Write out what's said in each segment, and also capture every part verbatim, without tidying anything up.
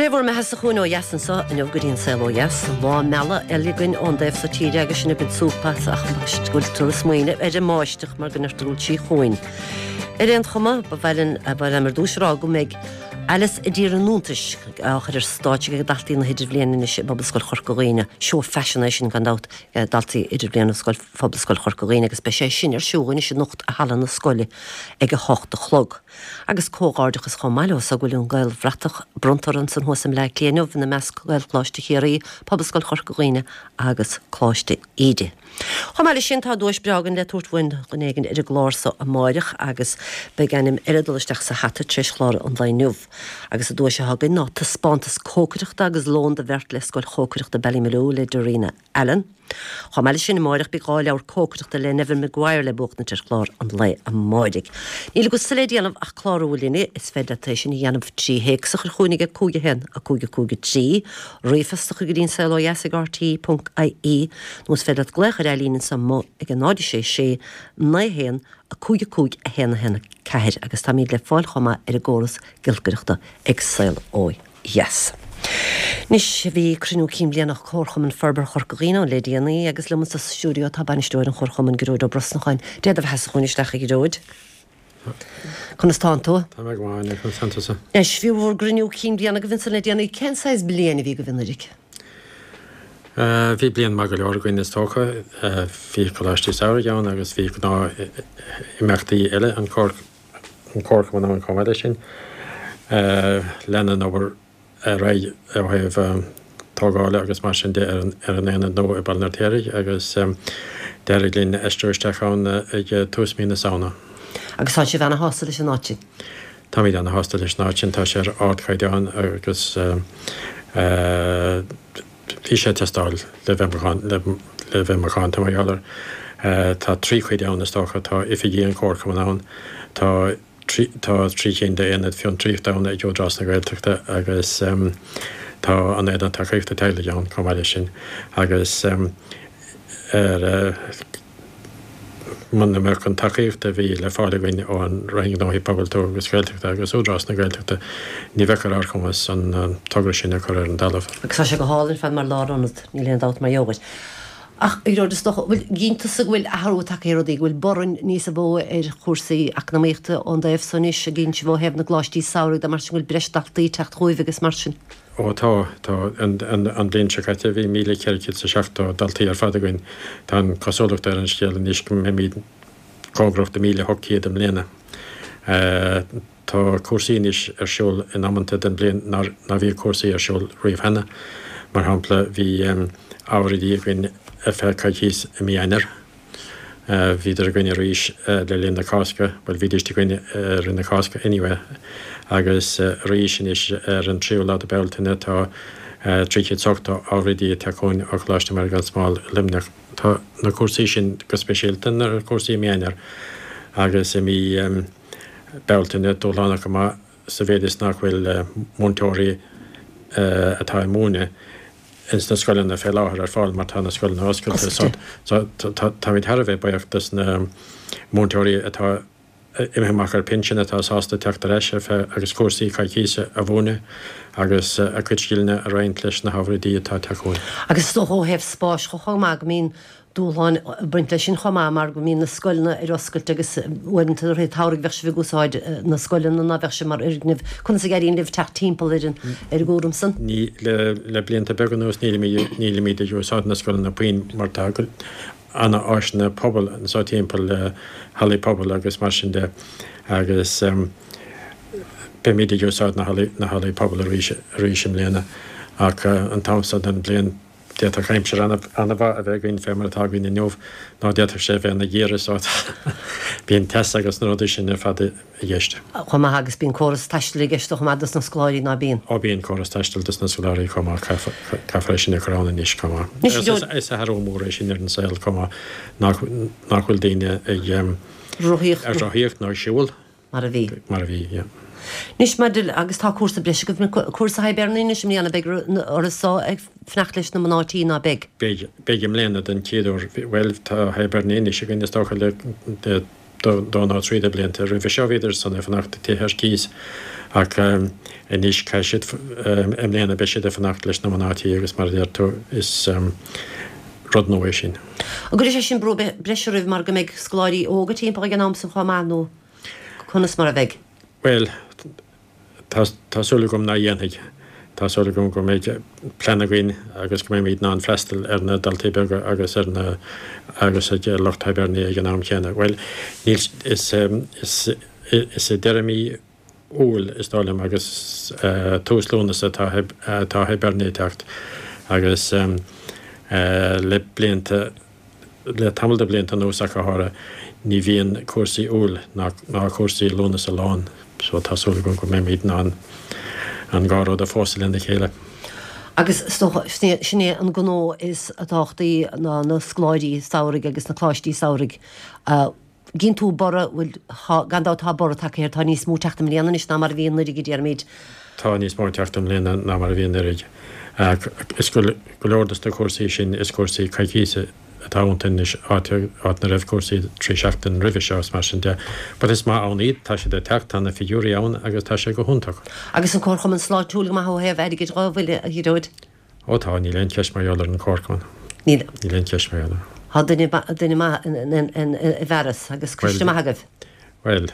Sé bhur mbeatha-sa chugainn ó dheas anseo inniu go dtí an Saol Ó Dheas, lá meala eile againn ón dtaobh so tíre agus sinn ag baint súp as ach go bhfuil tú ag smaoineamh ar an mbáisteach mar go ndeirtear go bhfuil sí chugainn. Ar aon chuma, ba mhaith linn ba mhaith liom ar dtús a rá go mbeidh Alice i dTír an Iontais á chur ar stáitse ag daltaí na hidirbhliana anois i bPobalscoil Chorca Dhuibhne. Seó faisin é sin gan dabht daltaí idirbhliana scoil Phobalscoil Chorca Dhuibhne agus beidh sé sin ar siúl anois anocht i halla na scoile ag a hocht a chlog. Agus comhghairdeachas chomh maith leo so go bhfuil an Gaelbhratach bronnta ansan thuas i mBleá Cliath inniu ina measc Gaelcholáiste Chiarraí, Pobalscoil Chorca Dhuibhne agus Coláiste Íde. Chomh maith leis sin tá duais breá againn le tabhairt uainn dhuine éigin ar an gclár so amáireach agus beidh ainm eile dul isteach sa hata tar éis chlár an lae inniu. Agus an duais atá againn ná taispeántas cócaireachta agus lón do bheirt le scoil chócaireachta Ballymaloe le Darina Allen. Chomh maith leis sin amáireach beidh dhá leabhar cócaireachta le Neven Maguire le buachnaint ar chlár an lae amáirigh. Níl agatsa le déanamh ach clárú linne is féidir leat é sin a dhéanamh trí théacs a chur chugainn ag cúig a haon a cúig a cúig a trí, ríomhphost a chur go dtí an Saol Ó Dheas ag RTÉ ponc IE, nó is féidir leat glaoch ar líne anseo amuigh ag a náid sé sé naoi haon a cúig a cúig a haon a haon a ceathair agus táimid le fáil chomh maith ar an gcóras giolcaireachta ag Saol Ó Dheas. Anois bhí cruinniú cinn bliana Chomharchumann Forbartha Chorca Dhuibhne ann le déanaí agus liom sa stiúideo tá bainisteoir an Chomharchumainn Gearóid Ó Brosnacháin. Dé do bheatha chugainn isteach a Ghearóid. Conas tánn tú? Tá mé go maith conas tánn tusa. Anois bhí bhur gcruinniú cinn bliana agaibh ansan le déanaí cén saghas bliain a bhí agaibh anuraidh? Bhí bliain maith go leor againn is dócha, bhí Coláistí Samhraidh ann agus bhí gnáth imeachtaí eile an Comharchumann ann chomh maith leis sin. Lean an obair ar aghaidh ó thaobh tógála agus mar sin de ar an aonad nua i Baile an Fheirtéaraigh agus d'éirigh linn aistriú isteach ann ag tús mí na Samhna. Agus tá sibh ana-shásta leis an áit sin? Táimid ana-shásta leis an áit sin, tá sé ar ardchaighdeán agus bhí sé ag teastáil le bheith le bheith macánta mar gheall air. Tá trí chuid ann is dócha, tá oifigí an Chomharchumainn ann, tá tá trí cinn d'aonaid fiontraíochta ann ag Údarás na Gaeltachta agus tá an aonad tacaíochta teaghlaigh ann chomh maith leis sin agus ar muna mbeadh an tacaíocht a bhí le fáil againn ón Roinn Gnóthaí Pobail Tuaithe agus Gaeltachta agus Údarás na Gaeltachta ní bheadh ar ár gcumas an togra sin a chur ar an talamh. Agus tá sé go hálainn ar fad mar lárionad, níl aon dabht mar gheall air. Ach a Ghearóid is dócha, bhfuil gcíonn tusa go bhfuil athrú tagtha ar rudaí, go bhfuil borradh níos mó ar chúrsaí eacnamaíochta ón dtaobh so anois, a gcíonn sibh ó thaobh na gcoláistí samhraidh de mar sin go bhfuil breis daltaí ag teacht chugaibh agus mar sin? Ó tá, tá. An, an, an bhliain seo caite bhí míle ceithre chéad is seachtó daltaí ar fad againn. Tá an cosúlacht ar an scéal anois go mbeimid cóngarach do míle hocht céad i mbliana. Tá cúrsaí anois ar siúl in amanta den bhliain nár ná bhíodh cúrsaí ar siúl riamh cheana. Mar shampla bhí ábhar oidí againn ar feadh coicíos i mí Eanáir. Bhíodar againn arís le linn na Cásca, bhuel bhídís againn ar na Cásca anyway, agus arís anois ar an tríú lá de Bealtaine tá trí chéad is ochtó ábhar oidí ag teacht chugainn ó Choláiste Mhuire gan Smál i Luimneach. Tá na cúrsaí sin go speisialta na cúrsaí i mí Eanáir agus i mí Bealtaine dúshlánach go maith sa mhéid is nach bhfuil múinteoirí atá ag múineadh ins na scoileanna fé láthair ar fáil mar tá na scoileanna oscailte. So táimid thar a bheith buíoch dos na múinteoirí atá imithe amach ar pinsean atá sásta teacht ar ais ar feadh agus cúrsaí coicíse a mhúineadh agus a cuid scileanna a roinnt leis na hábhair oidí atá ag teacht chugainn. Agus is dócha ó thaobh spáis chomh maith go mbíonn dúshláin ag baint leis sin chomh maith mar go mbíonn na scoileanna ar oscailt agus uaireanta i rith an tsamhraidh bheadh sibh ag úsáid na scoileanna ná bheadh sibh mar fhoirgneamh. Conas a éiríonn libh teacht timpeall ar an ar an gcúram san? Ní le le blianta beaga anuas nílimid nílimid ag úsáid na scoileanna puinn mar tá ana-áiseanna pobail anseo timpeall le hallaí pobail agus mar sin de agus beimid ag úsáid na hallaí na hallaí pobail arís arís i mbliana ach an t-am seo den bhliain D'fhéadfadh aimsir an-mhaith a bheith againn fé mar atá againn inniu, nó d'fhéadfadh sé a bheith ina ghiorra so bíonn teas agus na rudaí sin ar fad i gceist. Chomh maith agus bíonn córas taistil i gceist chomh maith dos na scoláirí, ná bíonn? Ó bíonn córas taistil dos na scoláirí chomh maith, caithfear é sin a chur ann anois chomh maith. Is athrú mór é sin ar an saol chomh maith nach bhfuil daoine ag rothaíocht nó ag siúl. Mar a bhí. Mar a bhí, yeah. Anois maidir le, agus tá cúrsa breise agaibh, cúrsa Hibernia anois i mbliana, beidh oraibh so ag fanacht leis na mná tí, ná beidh? Beidh, beidh i mbliana den chéad uair. Bhuel, tá Hibernia anois againn is dócha le dó nó trí de blianta. Roimhe seo bhíodar san ag fanacht i dtithe ar cíos Ach anois caithfidh siad, i mbliana beidh siad ag fanacht leis na mná tí agus mar a deir tú is rud nua é sin. An gcuirfidh sé sin brú breise oraibh mar go mbeidh scoláirí óga timpeall ag an am san chomh maith nó conas mar a bheidh? Bhuel, tá tá súil agam nach dhéanfaidh. Tá súil agam go mbeidh plean againn agus go mbeimid in ann freastal ar na daltaí beaga agus ar na agus ag lucht Hibernia ag an am céanna. Bhuel, níl is is is i deireadh mí Iúil is dóigh liom agus tús Lúnasa atá atá Hibernia ag teacht agus le blianta le tamall de bhlianta anuas ach go háirithe, ní bhíonn cúrsaí Iúil ná ná cúrsaí Lúnasa lán so tá súil agam go mbeimid in ann an dhá rud a phósadh lena chéile. Agus is dócha, sin é an gnó is tábhachtaí ná na scoláirí samhraidh agus na coláistí samhraidh. Gíonn tú borradh, bhuel, gan dabht tá borradh tagtha air, tá níos mó ag teacht i mbliana anois ná mar a bhí anuraidh, a déarfaimid. Tá níos mó ag teacht i mbliana ná mar a bhí anuraidh. Is go leor dos na cúrsaí sin, is cúrsaí coicíse atá iontu anois, áit áit ina raibh cúrsaí trí seachtain roimhe seo is mar sin de. But is maith ann iad, tá siad ag teacht, tá na figiúirí ann agus tá sé go hiontach. Agus an Comharchumann sláintiúil go maith ó thaobh airgid dhó, an bhfuil, a Ghearóid? Ó tá, níl aon cheist mar gheall ar an Chomharchumann. Níl. Níl aon cheist mar gheall air. Tá duine, duine maith i bhfearas agus coiste maith agaibh. Bhuel,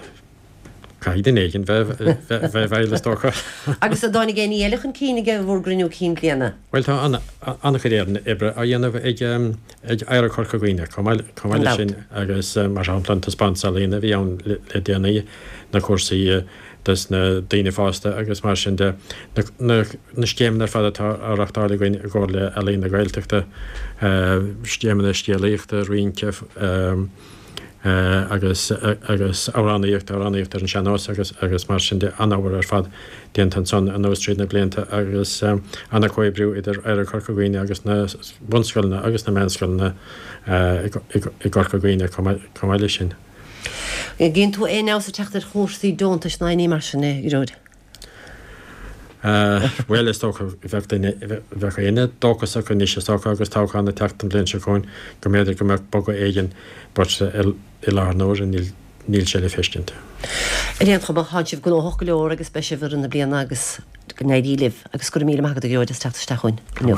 caithfidh duine éigin bheith bheith i bhfeighil is dócha. Agus an dtáinig aon ní eile chun cinn ag bhur gcruinniú cinn bliana? Bhuel tá an-chuid oibre á dhéanamh ag ag Oidhreacht Chorca Dhuibhne chomh maith chomh maith leis sin agus mar shampla an taispeántas ealaíne a bhí ann le déanaí, na cúrsaí dos na daoine fásta agus mar sin de, na na na scéimeanna ar fad atá á reachtáil againn i gcomhar le Ealaín na Gaeltachta, scéimeanna scéalaíochta, rince, agus agus amhránaíocht, amhránaíocht ar an sean-nós agus agus mar sin de, an-obair ar fad déanta ansan anuas tríd na blianta agus an-chomhoibriú idir Oidhreacht Chorca Dhuibhne agus na bunscoileanna agus na meánscoileanna i gCorca Dhuibhne chomh maith leis sin. Gíonn tú aon fheabhas ag teacht ar chúrsaí deontais ná aon ní mar sin, a Ghearóid? Bhuel, is dócha, bheadh duine, bheadh éinne dóchasach anois is dócha agus toghchán ag teacht an bhliain seo chugainn go mb'fhéidir go mbeadh bogadh éigin but i láthair na huaire níl, níl sé le feiscint. Ar aon chuma, tánn sibh gnóthach go leor agus beidh sibh i rith na bliana agus go n-éirí libh agus go raibh míle maith agat a Ghearóid as teacht isteach chugainn inniu.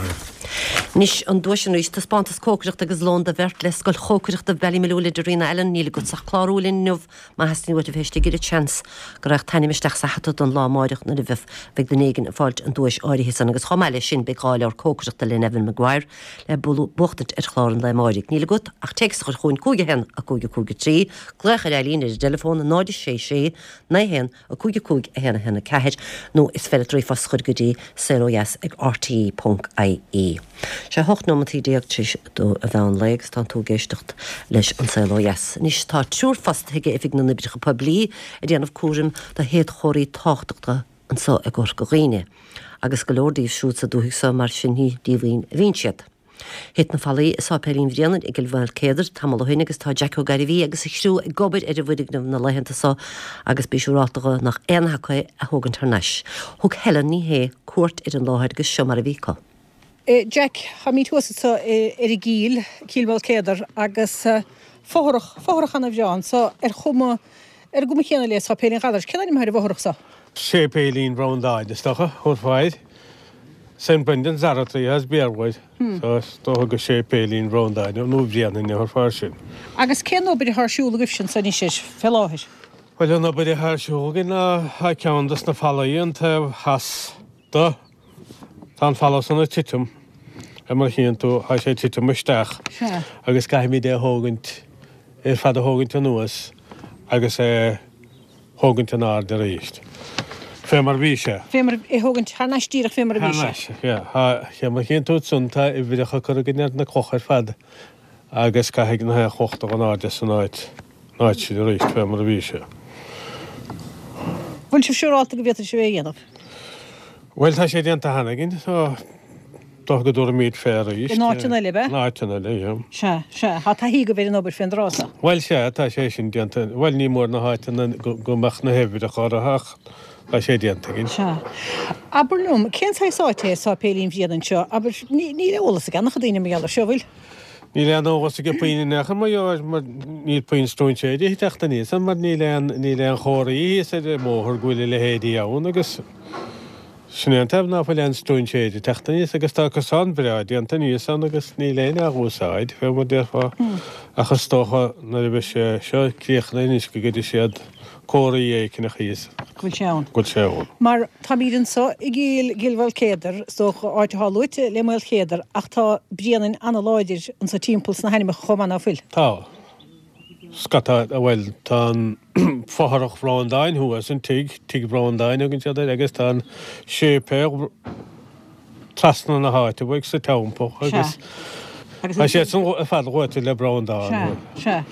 Anois an duais arís, taispeántas cócaireachta agus lón do bheirt le Scoil Chócaireachta Ballymaloe le Darina Allen, níl agat ach clárú linn inniu Má theastaíonn uait a bheith istigh ar an tseans go raghadh t'ainm isteach sa hata don lá amáireach nuair a bheidh beidh duine éigin ag fáilt an duais áirithe san agus chomh maith leis sin beidh dhá leabhar cócaireachta le Neven Maguire le buachtaint ar chlár an lae amáirigh. Níl agat ach téacs a chur chugainn cúig a haon a cúig a cúig a trí, glaoch ar Eileen ar an dteileafón náid a sé sé naoi haon a cúig a cúig a haon a haon a ceathair nó is féidir leat ríomhphost a chur go dtí Saol Ó Dheas ag rte ponc ie. Sé hocht nóimeataí déag tar éis dó an mheán lae agus tánn tú ag éisteacht leis An Saol Ó Dheas. Anois tá triúr fostaithe ag Oifig na nOibreacha Poiblí ag déanamh cúraim do shéadchomharthaí tábhachtacha anso i gCorca Dhuibhne, agus go leor díobh siúd sa dúthaigh so mar sin ní díomhaoin a bhíonn siad. Thit na fallaí i Sáipéilín Bhréanainn i gCill Mhaoilcéadair tamall ó shin agus tá Jack Ó Gairbhí agus a chriú ag obair ar an bhfoirgneamh na laethanta so agus bí siúrálta dho nach aon nath acu é a thógaint thar n-ais. Thug Helen Ní Shé cuairt ar an láthair agus seo mar a bhí acu. Jack, Táimid thuas anso ar an gCill, Cill Mhaoilcéadair, agus fothrach, fothrach ana-bhreá anso ar chuma, ar an gcuma chéanna le Sáipéilín Ghallarais. Cén ainm atá ar an bhfothrach so? Séipéilín Bhreandáin, is dócha, thabharfá air. Saint Brendan's Oratory as Béarla air. So is dócha gur Séipéilín Bhreandáin nó Bhréanainn a thabharfá air sin. Agus cén obair atá ar siúl agaibhse anso anois air fé láthair? Bhuel, an obair atá ar siúl againn ná tá ceann dos na fallaí an taobh theas de. Tá an falla san ag titim, ar mar a chíonn tú, tá sé ag titim isteach agus caithfimid é a thógaint, ar fad a thógaint anuas agus é thógaint in airde arís, fé mar a bhí sé. Fé mar, é thógaint thar n-ais díreach fé mar a bhí sé. Thar n-ais, yeah. Tá, fé mar a chíonn tú ansan, tá uimhreacha curtha againn ar na clocha ar fad agus caithfidh na haon chloch dul in airde san áit, an áit sin arís, fé mar a bhí sé. Bhfuil sibh siúrálta go bhféadfaidh sibh é a dhéanamh? Bhuel, tá sé déanta cheana againn, so dócha go dtabharfaimid fé arís. In áiteanna eile, ab ea? In áiteanna eile, yeah. Sea, sea. Tá taithí agaibh ar an obair fén dtráth so. Bhuel, sea, tá sé sin déanta. Bhuel, ní mór na háiteanna go mbeadh na huimhreacha orthu ach tá sé déanta againn. Sea. Abair liom, cén saghas áit é Sáipéilín Bhréanainn seo? Abair, níl eolas ag an-chuid daoine mar gheall air seo, bhfuil? Níl aon eolas ag puinn in aon chor mar gheall air mar níl puinn stróinséirí ag teacht aníos ann mar níl aon níl aon chomharthaí thíos ar an mbóthar go bhfuil a leithéidí ann agus sin é an taobh ná fuil aon stróinséirí ag teacht aníos agus tá cosán breá déanta aníos ann agus níl éinne á úsáid fé mar déarfá ach is dócha nuair a bheidh sé seo críochnaithe anois go gcuirfidh siad comharthaí éigineach thíos. Go bhfuil sé ann. Go bhfuil sé ann. Mar táimid anso i gCill gCill Mhaoilchéadair, is dócha, áit atá luaite le Maolchéadar, ach tá Bréanainn ana-láidir anso timpeall sna hainmneacha chomh maith, ná fuil? Tá. Scata, bhuel, tá an fothrach Bhreandáin thuas, an tigh, Tigh Bhreandáin a thugann siad air, agus tá an séipéal trasna na háite uaidh sa teampall agus tá siad san ar fad luaite le Breandán. Sea, sea.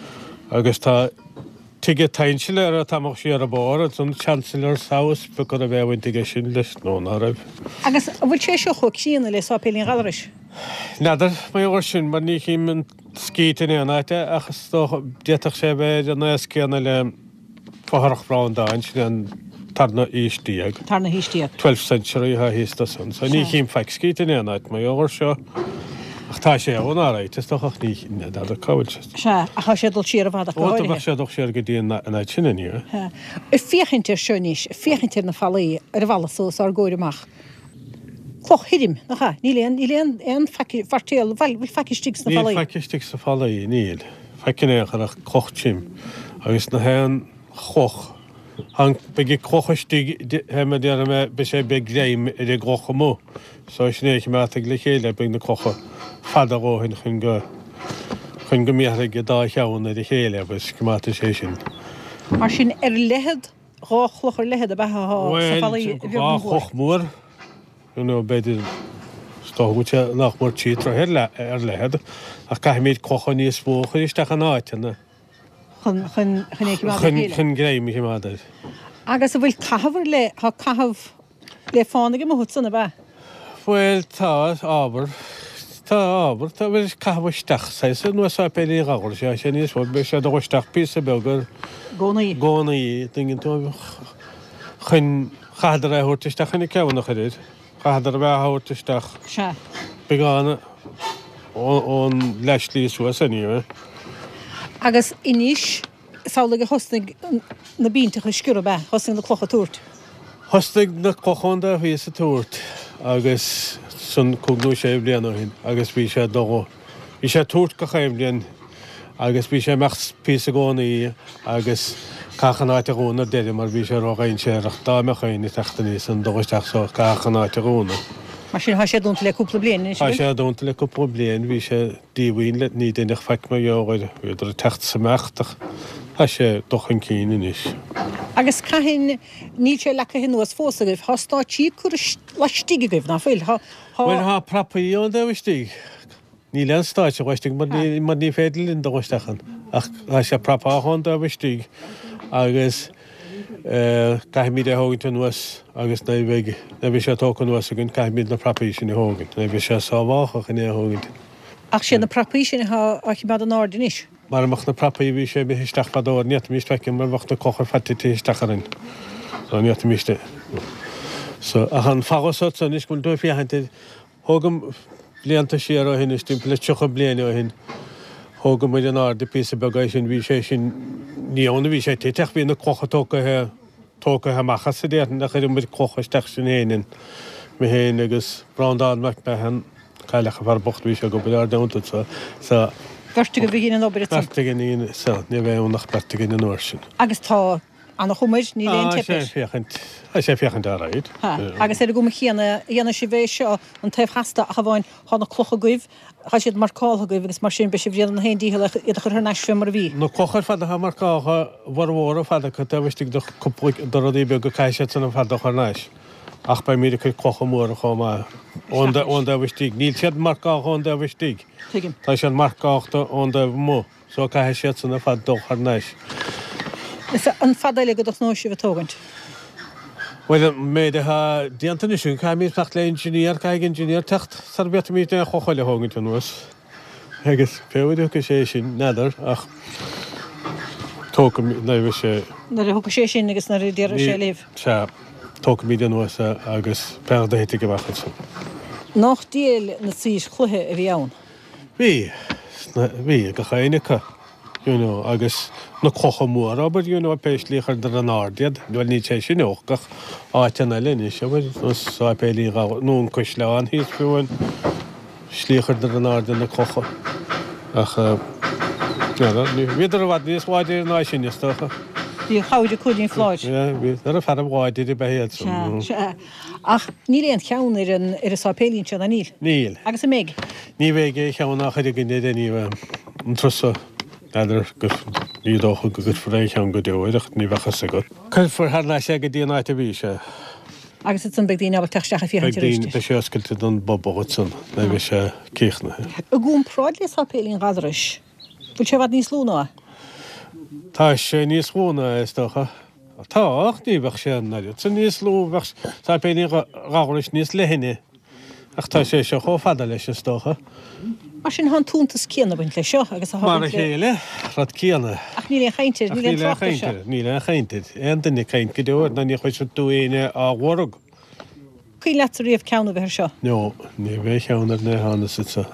Agus tá Tigh an tSeansailéara tamall siar an bóthar ansan, Chancellor's House, b'fhéidir go raibh aon bhaint aige sin leis nó ná raibh. Agus an bhfuil sé seo chomh críonna le Sáipéilín Ghallarais? N'fheadar, mar gheall air sin, mar ní chím an scít in aon áit é, ach is dócha, d'fhéadfadh sé a bheith ar an aos céanna le Fothrach Bhreandáin, sin an tarna aois déag. Tarna haois déag. Twelfth century atá thíos do san. So ní chím faic scríte in aon áit mar gheall air seo. Ach tá sé ann alright, is dócha, ach ní n'fheadar cá bhfuil sé. Sea, ach tá sé ag dul siar i bhfad ach go Ó, háirithe. bheadh sé ag dul siar go dtí an áit sin inniu. Sea. Ag féachaint air seo anois, ag féachaint ar na fallaí, ar an bhfalla so os ár gcomhair amach. Cloch thirim, nach ea? Níl aon, níl aon, aon faic, feirtéal, bhfuil, bhfuil faic istigh sna Níl fallaí? faic istigh sna fallaí, níl. Faic in aon chor ach cloch tirim. Agus na haon chloch, Tá, beidh an cloch istigh, fé mar déarfaidh mé, beidh sé, beidh greim ar an gcloch amuigh. So sin é a choimeádfaidh le chéile, beidh na clocha fada a dhóthain chun go, chun go mbéarfaidh an dá cheann ar a chéile agus coimeádfaidh sé sin. Mar sin, ar leithead, dhá chloch ar leithead ab ea atá sna fallaí, Bhuel, a bheag dhá nó a mhór? chloch mhór, you know, b'fhéidir, is dócha go bhfuil sé nach mór trí troithe ar leithead, ach caithfimid clocha níos mó a chur isteach in áiteanna. Chun, chun, chun é a choimeád ar chéile. Chun greim a choimeád air. Agus an bhfuil caitheamh ar leith, tá caitheamh le fánaigh amuigh ansan, ab ea? Bhuel, tá ábhar, tá ábhar, tá, bhuel, caitheamh isteach, saghas, ar nós Sáipéilín Ghallarais, tá sé níos mó, beidh sé ag dul isteach píosa beag ar gcónaí. gcónaí, tuigeann tú, chun, chaitheadar é a thabhairt isteach chun an ceann a chur air, chaitheadar a bheith á thabhairt isteach. Sea. Beagán ón leathshlí suas anyway. Agus anois, is amhlaidh a thosnaigh na binnteacha ag sciorradh, ab ea? Thosnaigh na clocha ag tabhairt. Thosnaigh na clocha ón dtaobh thíos ag tabhairt agus san cúig nó sé bliana ó shin agus bhí sé ag dul, bhí sé ag tabhairt gach aon bhliain agus bhí sé ag imeacht píosa i gcónaí agus caitheadh an áit a dhúnadh ar deireadh mar bhí sé ródhainséarach dá mbeadh éinne ag teacht aníos an dul isteach so caitheadh an áit a dhúnadh. Mar sin, tá sé dúnta le cúpla bliain anois, Tá an bhfuil? sé dúnta le cúpla bliain, bhí sé díomhaoin le ní deineadh faic mar gheall air, bhíodar ag teacht 's imeacht ach tá sé ag dul chun cinn anois. Agus cathain, níl sé leagtha anuas fós agaibh, tá stáitsí curtha laistigh agaibh, ná fuil? Tá, tá. Bhuel, tá prapaí ón dtaobh istigh. Níl aon stáitse laistigh mar ní, mar ní féidir linn dul isteach ann ach tá sé prapáltha ón dtaobh istigh agus caithfimid é a thógaint anuas agus nuair a bheidh, nuair a bheidh sé tógtha anuas againn caithfimid na prapaí sin a thógaint, nuair a bheidh sé sábháltha chun é a thógaint. Ach siad na prapaí sin atá á choimeád in airde anois. Mara mbeadh na prapaí bhí sé imithe isteach fadó, ní fhéadfaimis faic mar bheadh na clocha ar fad titithe isteach orainn. So ní fhéadfaimis é. So ach an falla so anois go bhfuil tú ag féachaint air, Thóg blianta siar ó shin, is timpeall le tríocha bliain ó shin, thóg muid in airde píosa beag é sin, bhí sé sin, ní ann a bhí sé tite ach bhí na clocha tógtha, tógtha amach as a déarfainn, ach chuir muid clocha isteach sin féin in, mé féin agus Breandán Mac Mahon, cailleadh an fear bocht, bhí sé ag obair ár dteannta so, so. Beirt agaibh a dhein an obair ansan? Beirt againn a dhein, so, ní raibh ann ach beirt againn an uair sin. Agus tá Ana-chuma air, níl aon Tá teip sé air. ag féachaint, tá sé ag féachaint alright. Tá. Agus ar an gcuma chéanna a dhéanfaidh sibh é seo, an taobh theas de, ach amháin, tá na clocha agaibh, tá siad marcáltha agaibh agus mar sin beidh sibh ag déanamh na haon dícheall iad a chur thar n-ais fé mar a bhí. Na clocha ar fad atá marcáltha, a bhformhór ar fad acu taobh istigh de chúpla de rudaí beaga caithfidh siad san ar fad a chur thar n-ais. Ach beimid ag cur clocha móra chomh maith ón ón dtaobh istigh. Níl siad marcáltha ón dtaobh istigh. Tuigim. Tá siad marcálta ón dtaobh amuigh. So caithfidh siad san ar fad dul thar n-ais. Is an fada eile go dtosnóidh sibh ag tógaint? Bhuel, an méid atá déanta anois againn, caithfimid fanacht le engineer, caithfidh engineer teacht sara bhféadfaimid aon chloch eile a thógaint anuas. Agus pé uair a thiocfaidh sé sin, n'fheadar, ach tógfaimid, nuair a bheidh sé. Nuair a thiocfaidh sé sin agus nuair a déarfaidh sé libh. Sea, tógfaimid anuas é agus pé rud a thitfidh amach ansan. Nach diail na saoir chloiche a bhí ann? Bhí. Bhí ag gach éinne acu, you know, agus na clocha móra, abair, you know, pé slí a chuireadar in airde iad. Bhuel, níl sé sin ach gach áiteanna eile anois, abair, nó sáipéilín Ghabhla, nó an Caisleán thíos fiú an slí a chuireadar in airde na clocha. Ach, n'fheadar, bhíodar i bhfad níos láidre ná sin, is dócha. Bhí an chabhair ag Cúilín Phláid. Sea, bhí, ar fearaibh láidre ab ea iad san. Sea, sea. Ach níl aon cheann ar an, ar an sáipéilín seo, ná níl? Níl. Agus an mbeidh? Ní bheidh aon cheann á chur againn air anyway. An turas seo, n'fheadar go, ní dócha go gcuirfear aon cheann go deo air ach ní bheadh fhios agat. Cuirfear thar n-ais é go dtí an áit a bhí sé. Agus ansan beidh daoine ábalta teacht isteach ag féachaint Beidh arís daoine, beidh sé oscailte don bpobal ansan nuair a bheidh sé críochnaithe. I gcomparáid le Sáipéilín Ghallarais, bhfuil sé i bhfad níos lú ná é? Tá sé níos lú ná é, is dócha. Tá, ach ní bheadh sé an oiread san níos lú, bheadh Sáipéilín Ghallarais níos leithne. Ach tá sé seo chomh fada leis, is dócha. Mar sin, tá an t-iontas céanna ag baint leis seo agus atá Mar a baint le. chéile, rud céanna. Ach níl aon chaint air, Ach níl aon níl aon trácht air chaint seo. air, níl aon chaint air. Aon duine ag caint go deo air, ná ní chloisfidh tú éinne á lorg. Cuimhin leatsa riamh ceann a bheith air seo? No, ní bheidh ceann air ná thánas anso.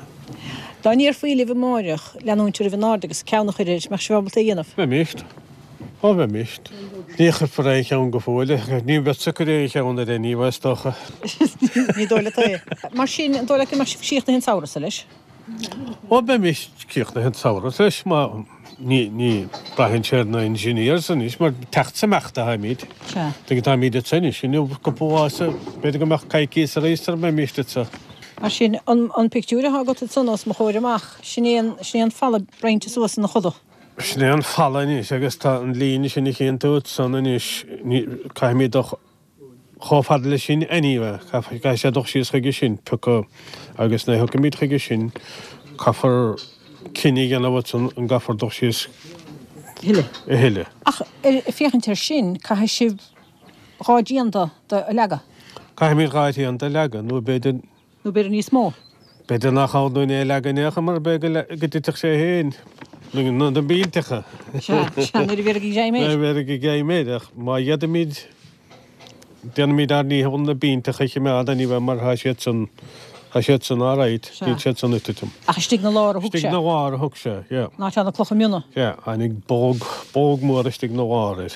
Dá ndéarfaí libh amáireach leanúint oraibh in airde agus ceann a chur air, mbeadh sibh ábalta é a dhéanamh? Bheimis. Ó, bheimis. Ní chuirfear aon cheann go fóill. Ní bheadsa ag cur aon cheann air anyway, is dócha. Ní dóigh leat é. Mar sin, an dóigh leat go mbeadh sibh críochnaithe an samhradh seo leis? Ó, bheimis críochnaithe an samhradh leis, má, ní, ní, braitheann sé ar na engineers anois, mar teacht is imeacht atáimid. Sea. Tuige táimid anso anois, inniu, cúpla lá is, b'fhéidir go mbeadh coicíos arís sara mbeimis anso. Mar sin, an, an pictiúr atá agat ansan os mo chomhair amach, sin é an, sin é an falla roinnte suas ina choda. Sin é an falla anois agus tá an líne sin a chíonn tú ansan anois, ní, caithfimid dul chomh fada leis sin anyway, caithfidh sé dul síos chuige sin, pioca, agus nuair a thiocfaimid chuige sin, caithfear cinneadh a dhéanamh ansan an gcaithfear dul síos a thuilleadh. A thuilleadh. Ach ar, féachaint air sin, caithfidh sibh dhá dtrian de a leagadh. Caithfimid dhá thrian de a leagadh, nó b'fhéidir. Nó b'fhéidir níos mó. B'fhéidir nach ann dúinn é a leagadh in aon chor mar b'fhéidir go dtitfeadh sé féin na na billteacha. Sea, sea, nuair a bhéarfaidh greim air. Nuair a bhéarfaidh greim air, ach má d'fhéadfaimid, déanfaimid ár ndícheall na billteacha a choimeád anyway mar tá siad san, tá siad san alright, Sea. níl siad san ag titim. Ach istigh 'na lár a thug sé. Istigh 'na lár a thug sé, yeah. An áit a raibh na clocha miona. Yeah, tháinig bolg, bolg mór istigh 'na lár air.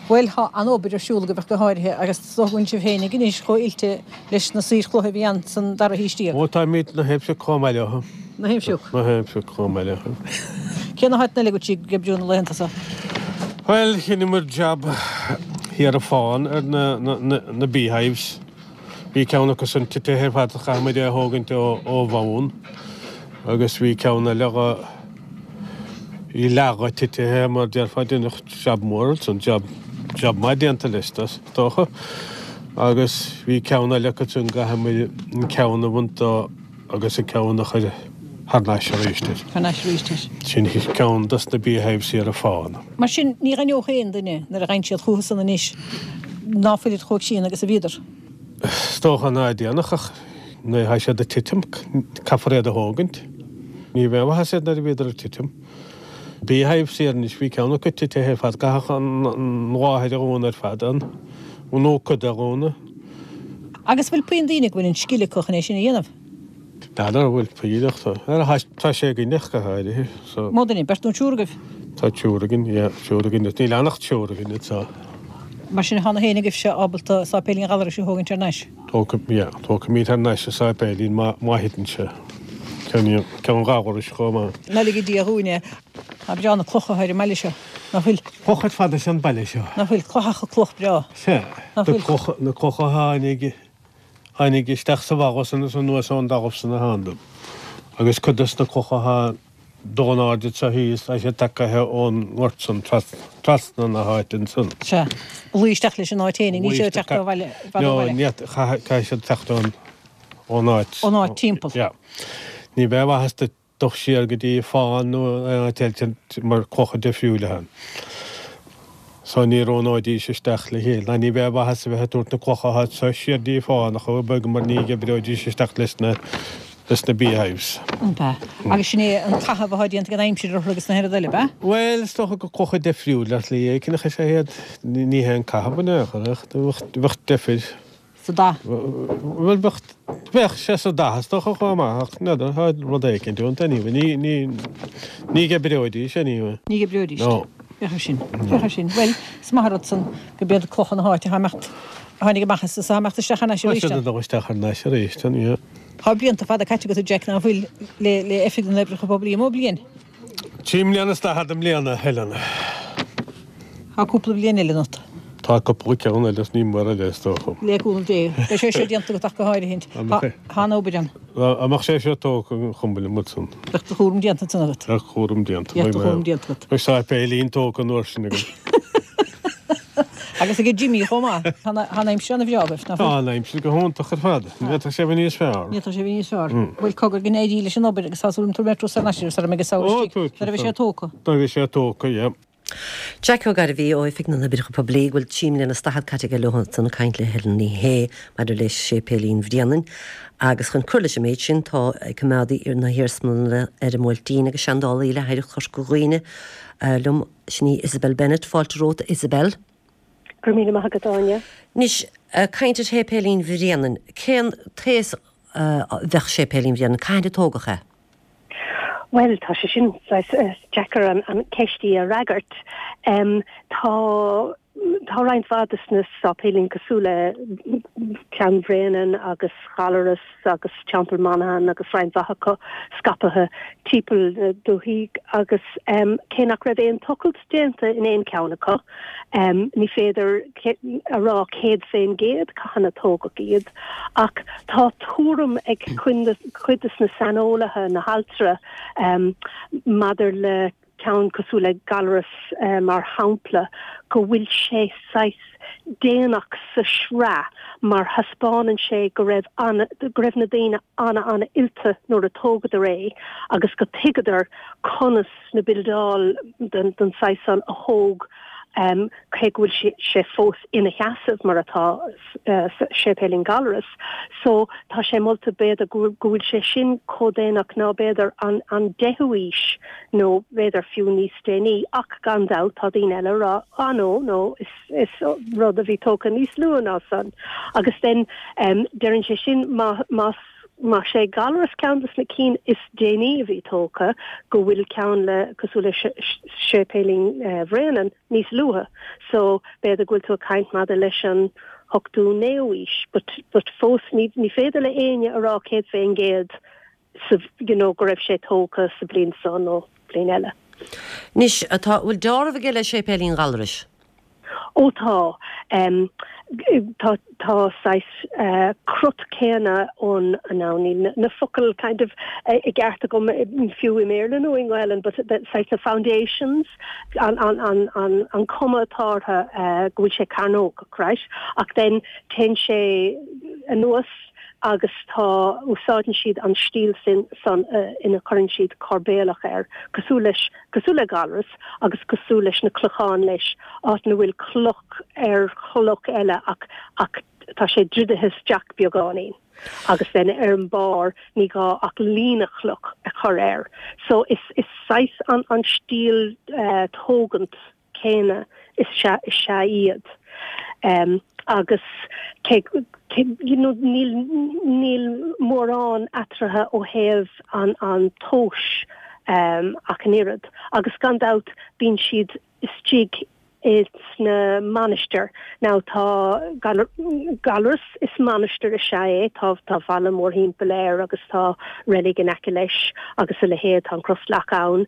Bhuel, tá an-obair ar siúl agaibh ach go háirithe, agus is dócha go bhfuil sibh féinig anois chomh oilte leis na saoir chloiche a bhí ann san dara haois déag. Ó, táimid na thaobh chomh maith leo. Na thaobh Na thaobh chomh maith leo. Cé na háiteanna eile go bhfuil sibh ag oibriú na laethanta seo? Bhuel, dheineamar jab thiar i Fán ar na, na, na, na beehives. Bhí ceann acu san titithe ar fad, chaith muid é a thógaint ó, ó bhonn, agus bhí ceann eile dho, Bhí leath dhe titithe mar déarfá deineadh jab mór ansan, jab, jab maith déanta leis is dócha. Agus bhí ceann eile acu san gcaithfidh muid an ceann a bhaint dó agus an ceann a chur thar n-ais arís air. Thar n-ais arís air. Sin ceann dos na beehives thiar i Fán. Mar sin, ní aithneodh aon duine nuair a gheibheann siad chucu san anois ná fuilid chomh críonna agus a bhíodar. Is dócha ná déanfadh ach nuair atá siad ag titim, caithfear iad a thógaint. Ní bheadh maitheas iad nuair a bhíodar ag titim. Beehives thiar anois, bhí ceann acu titithe ar fad, caithfeadh an mháthair a dhúnadh ar fad, an, nó cuid de a dhúnadh. Agus bhfuil puinn daoine go bhfuil an scil acu chun é sin a dhéanamh? N'fheadar an bhfuil puinn ach tá, tá sé againn ach go háirithe, so. Mó duine, beirt nó triúr agaibh? Tá triúr againn, yeah, triúr againn, níl ann ach triúr againn, so. Mar sin, tá na héinne agaibhse ábalta Sáipéilín Ghallarais a thógaint thar n-ais? Tógfaidh, yeah, tógfaimid thar n-ais an sáipéilín má, má thiteann sé. Ceann, ceann Ghallarais chomh maith. Ná lige Dia dhúinn é. Nach breá na clocha atá ar an mbaile seo, nach bhfuil? Clocha ar fad is ea an baile seo. Nach bhfuil? Cloicheacha cloch breá. Sea. Nach bhfuil? Na clocha, na clocha a tháinig, tháinig isteach sa bhalla san is anuas ón dtalamh san a thánadar. Agus cuid des na clocha atá dul in airde anseo thíos, tá siad tagaithe ón ngort san, trasna na háite ansan. Sea. A luí isteach leis an áit fhéinig, níl siad ag teacht ó bhaile, i bhfad ó bhaile. No, caithfidh siad teacht ón, ón áit. Ón áit timpeall. Yeah. Ní bheadh maitheas duit dul siar go dtí Fán nó aon áit eile mar clocha difriúil atá ann. So ní roghnóidís isteach le chéile. Ná ní bheadh maitheas a bheith ag tabhairt na clocha atá anseo siar dtí Fán ach chomh beag mar ní oibreoidís isteach leis na leis na beehives. Ab ea? Agus sin é an caitheamh atá déanta ag an aimsir orthu agus na hoiread eile, ab ea? Bhuel, is dócha gur clocha difriúil ar shlí éicint is ea iad. Ní hé an caitheamh in aon chor ach bheadh deifir. Sa dath. Bhuel, bheadh, Bheadh sé sa dath is dócha chomh maith ach n'fheadar, tá rud éicint iontu anyway. Ní, ní, ní dh'oibreoidís anyway. Ní dh'oibreoidís. No. Féach ar sin. Féach ar sin. Bhuel, is maith an rud san go b'iad clocha na háite atá imeacht, a tháinig amach as is atá imeacht isteach thar n-ais Tá arís. siad ag dul isteach thar n-ais arís, yeah. Tá blianta fada caite agat a Jack ná fuil le, le Oifig na nOibreacha Poiblí, mó bliain? Trí mbliana is daichead i mbliana, Helen. Tá cúpla bliain eile ionat. Tá cúpla ceann eile is ní mór eile is dócha. Le cúnamh Dé. Beidh sé seo déanta agat ach go háirithint. Tá an obair ann. Dá mbeadh sé seo tógtha an chuma liom ansan. Bheadh do chúram déanta ansan agat. Bheadh cúram déanta. Bheadh do chúram déanta agat. Beidh sáipéilín tógtha an uair sin agam. Agus ag Jimmy chomh maith. Tá an aimsir ana-bhreá agaibh, nach bhfuil? Tá an aimsir go hiontach ar fad. Ní fhéadfadh sé a bheith níos fearr. Ní fhéadfadh sé a bheith níos fearr. Bhuel, cogar go n-éirí leis an obair agus tá súil agam tabharfaidh mé turas thar n-ais air sara mbeidh an samhradh istigh, nuair a bheidh sé tógtha. Nuair a bheidh sé tógtha, yeah. Jack Ó Gairbhí ó Oifig na nOibreacha Poiblí go bhfuil trí mbliana is daichead caite aige leo ansan ag caint le Helen Ní Shé maidir le Séipéilín Bhréanainn agus chun cur leis an méid sin tá coimeádaí na hiarsmalainne ar an mBuailtín agus seandálaí le hOidhreacht Chorca Dhuibhne liom, sin í Isabel Bennett. Fáilte romhat Isabel. Go raibh míle maith agat Áine. Anois, caint ar Shéipéilín Bhréanainn, cén t-aos a bheadh Séipéilín Bhréanainn? Cathain a tógadh é? Bhuel, tá sé sin saghas deacair an ceist í a fhreagairt. Tá tá roinnt mhaith de na sáipéilíní cosúil le ceann Bhréanainn agus Ghallaras agus Teampall Monaghan agus roinnt mhaith acu scaipthe timpeall na dúthaí agus cé nach raibh aon tochailt déanta in aon cheann acu, ní féidir a rá céad fén gcéad cathain a tógadh iad. Ach tá tuairim ag cuid de na saineolaithe, na hailtirí, maidir le ceann cosúil le Gallarus mar shampla, go bhfuil sé saghas déanach sa sraith mar thaispeánann sé go raibh an, go raibh na daoine ana-ana-oilte nuair a tógadar é agus go tuigeadar conas na bildeáil den den saghas san a thóg cé go bhfuil sé fós ina sheasamh mar atá Séipéilín Gallarus. So tá sé molta b'fhéidir go bhfuil sé sin chomh déanach ná b'fhéidir an an deichiú aois nó b'fhéidir fiú níos déanaí ach gan dabht tá daoine eile ag rá ah no no is is rud a bhí tógtha níos luath ná san. Agus then deireann sé sin má más más é Gallarus ceann de na cinn is déanaí a bhí tógtha, go bhfuil ceann le cosúil le Séipéilín Bhréanainn níos luaithe. So b'fhéidir go bhfuil tú ag caint maidir leis an ochtú, naoú aois, but but fós ní ní féidir le éinne a rá céad fén gcéad sa you know go raibh sé tógtha sa bliain seo nó bliain eile. Anois, tá, bhfuil dealramh aige le Séipéilín Ghallarais? Ó tá. Tá tá saghas crot céanna ann now níl na focail kind of i gceart agam fiú i mBéarla nó i nGaelainn but saghas na foundations an an an an an cuma atá orthu go bhfuil sé cearnógach right ach then téann sé anuas agus tá úsáideann siad an stíl sin san ina chuireann siad coirbéalach air cosúil leis cosúil le Gallarus agus cosúil leis na clocháin leis áit ina bhfuil cloch ar chloch eile ach ach tá sé druidithe isteach beagáinín agus then ar an barr ní gá ach líne chloch a chur air so is is saghas an an stíl uh, tógant céanna is ea is ea iad. Um, agus cé, cé, you know, níl, níl mórán eatarthu ó thaobh an, an tomhais um, ach an oiread. Agus gan dabht bíonn siad istigh sna mainistir. Now tá Gallarus is mainistir is ea é, tá tá balla mórthimpeall air agus tá reilig in aice leis agus a leithéid, tá an crosleac ann.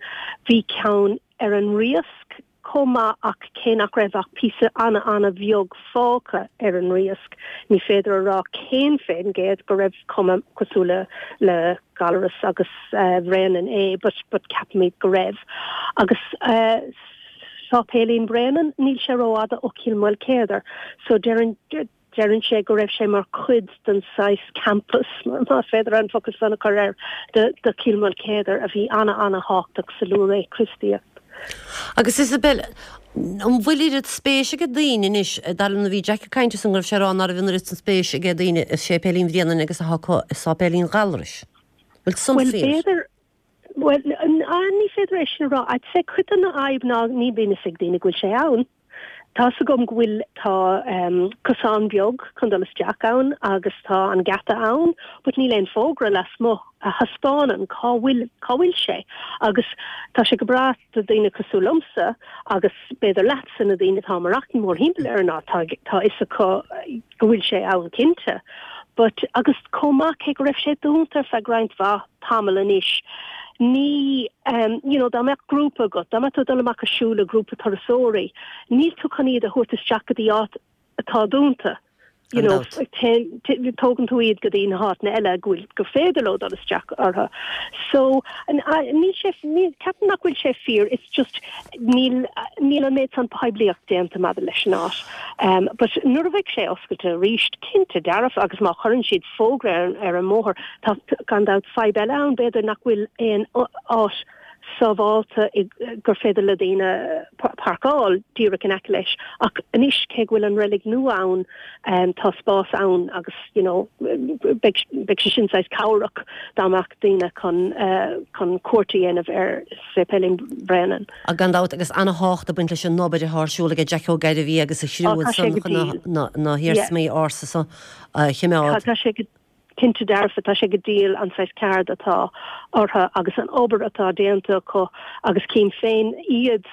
Bhí ceann ar an Riasc chomh maith ach cé nach raibh ach píosa ana-ana-bheag fágtha ar an Riasc, ní féidir a rá céad fén gcéad go raibh cuma cosúil le le Gallarus agus Bhréanainn é but but ceapaimid go raibh. Agus Sáipéilín Bhréanainn, níl sé rófhada ó Chill Mhaoilcéadair so deireann Deireann sé go raibh sé mar chuid den saghas campus, más féidir an focal san a chur air, de de Chill Mhaoilchéadair a bhí ana-ana-thábhachtach sa luathré Chríostaíocht. Agus Isabel, an bhfuil oiread spéis ag daoine anois, dar liom nuair a bhí Jack ag caint ansan go raibh sé ag rá ná raibh an oiread san spéis ag daoine i Séipéilín Bhréanainn agus atá acu i Sáipéilín Ghallarais. Bhfuil san Bhuel, fíor? b'fhéidir, bhuel, ní féidir é sin a rá. I'd say cuid den fhadhb ná ní bhíonn fhios ag daoine go bhfuil sé ann. Tá's agam go bhfuil tá cosán beag chun dul isteach ann agus tá an geata ann, but níl aon fógra lasmuigh a thaispeánann cá bhfuil cá bhfuil sé. Agus tá sé go breá do daoine cosúil liomsa agus b'fhéidir leatsa na daoine atá maireachtaint mórthimpeall air ná tá tá fhios acu go bhfuil sé ann cinnte. But agus chomh maith cé go raibh sé dúnta ar feadh roinnt mhaith tamall anois, ní um, you know, dá mbeadh grúpa agat, dá mbeadh tú ag dul amach ag siúl le grúpa turasóirí, níl tú chun iad a thabhairt isteach go dtí áit atá dúnta. You know, tógann tú iad go dtí na háiteanna eile go bhfuil gur féidir leo dul isteach orthu. So níl sé ceapaim nach bhfuil sé fíor, it's just níl níl an méid san poiblíocht déanta maidir leis an áit. Um, but nuair a bheidh sé oscailte arís cinnte dearfa agus má chuireann siad fógra ar, ar an mbóthar tá gan dabht fadhb eile ann b'fhéidir nach bhfuil aon áit sábháilte gur féidir le daoine páirceáil díreach in aice leis. Ach anois cé go bhfuil an reilig nua ann tá spás ann agus you know beidh beidh sé sin saghas cabhrach dá mbeadh daoine chun chun cuairt a dhéanamh ar Séipéilín Bhréanainn. Gan dabht agus ana-thábhacht ag baint leis an obair atá ar siúl ag Jack Ó Gairbhí agus a chriú ansan chun na na hiarsmaí ársa so a choimeád. Tá sé go Cinnte dearfa, tá sé go diail an saghas ceard atá orthu agus an obair atá déanta acu agus cím féin iad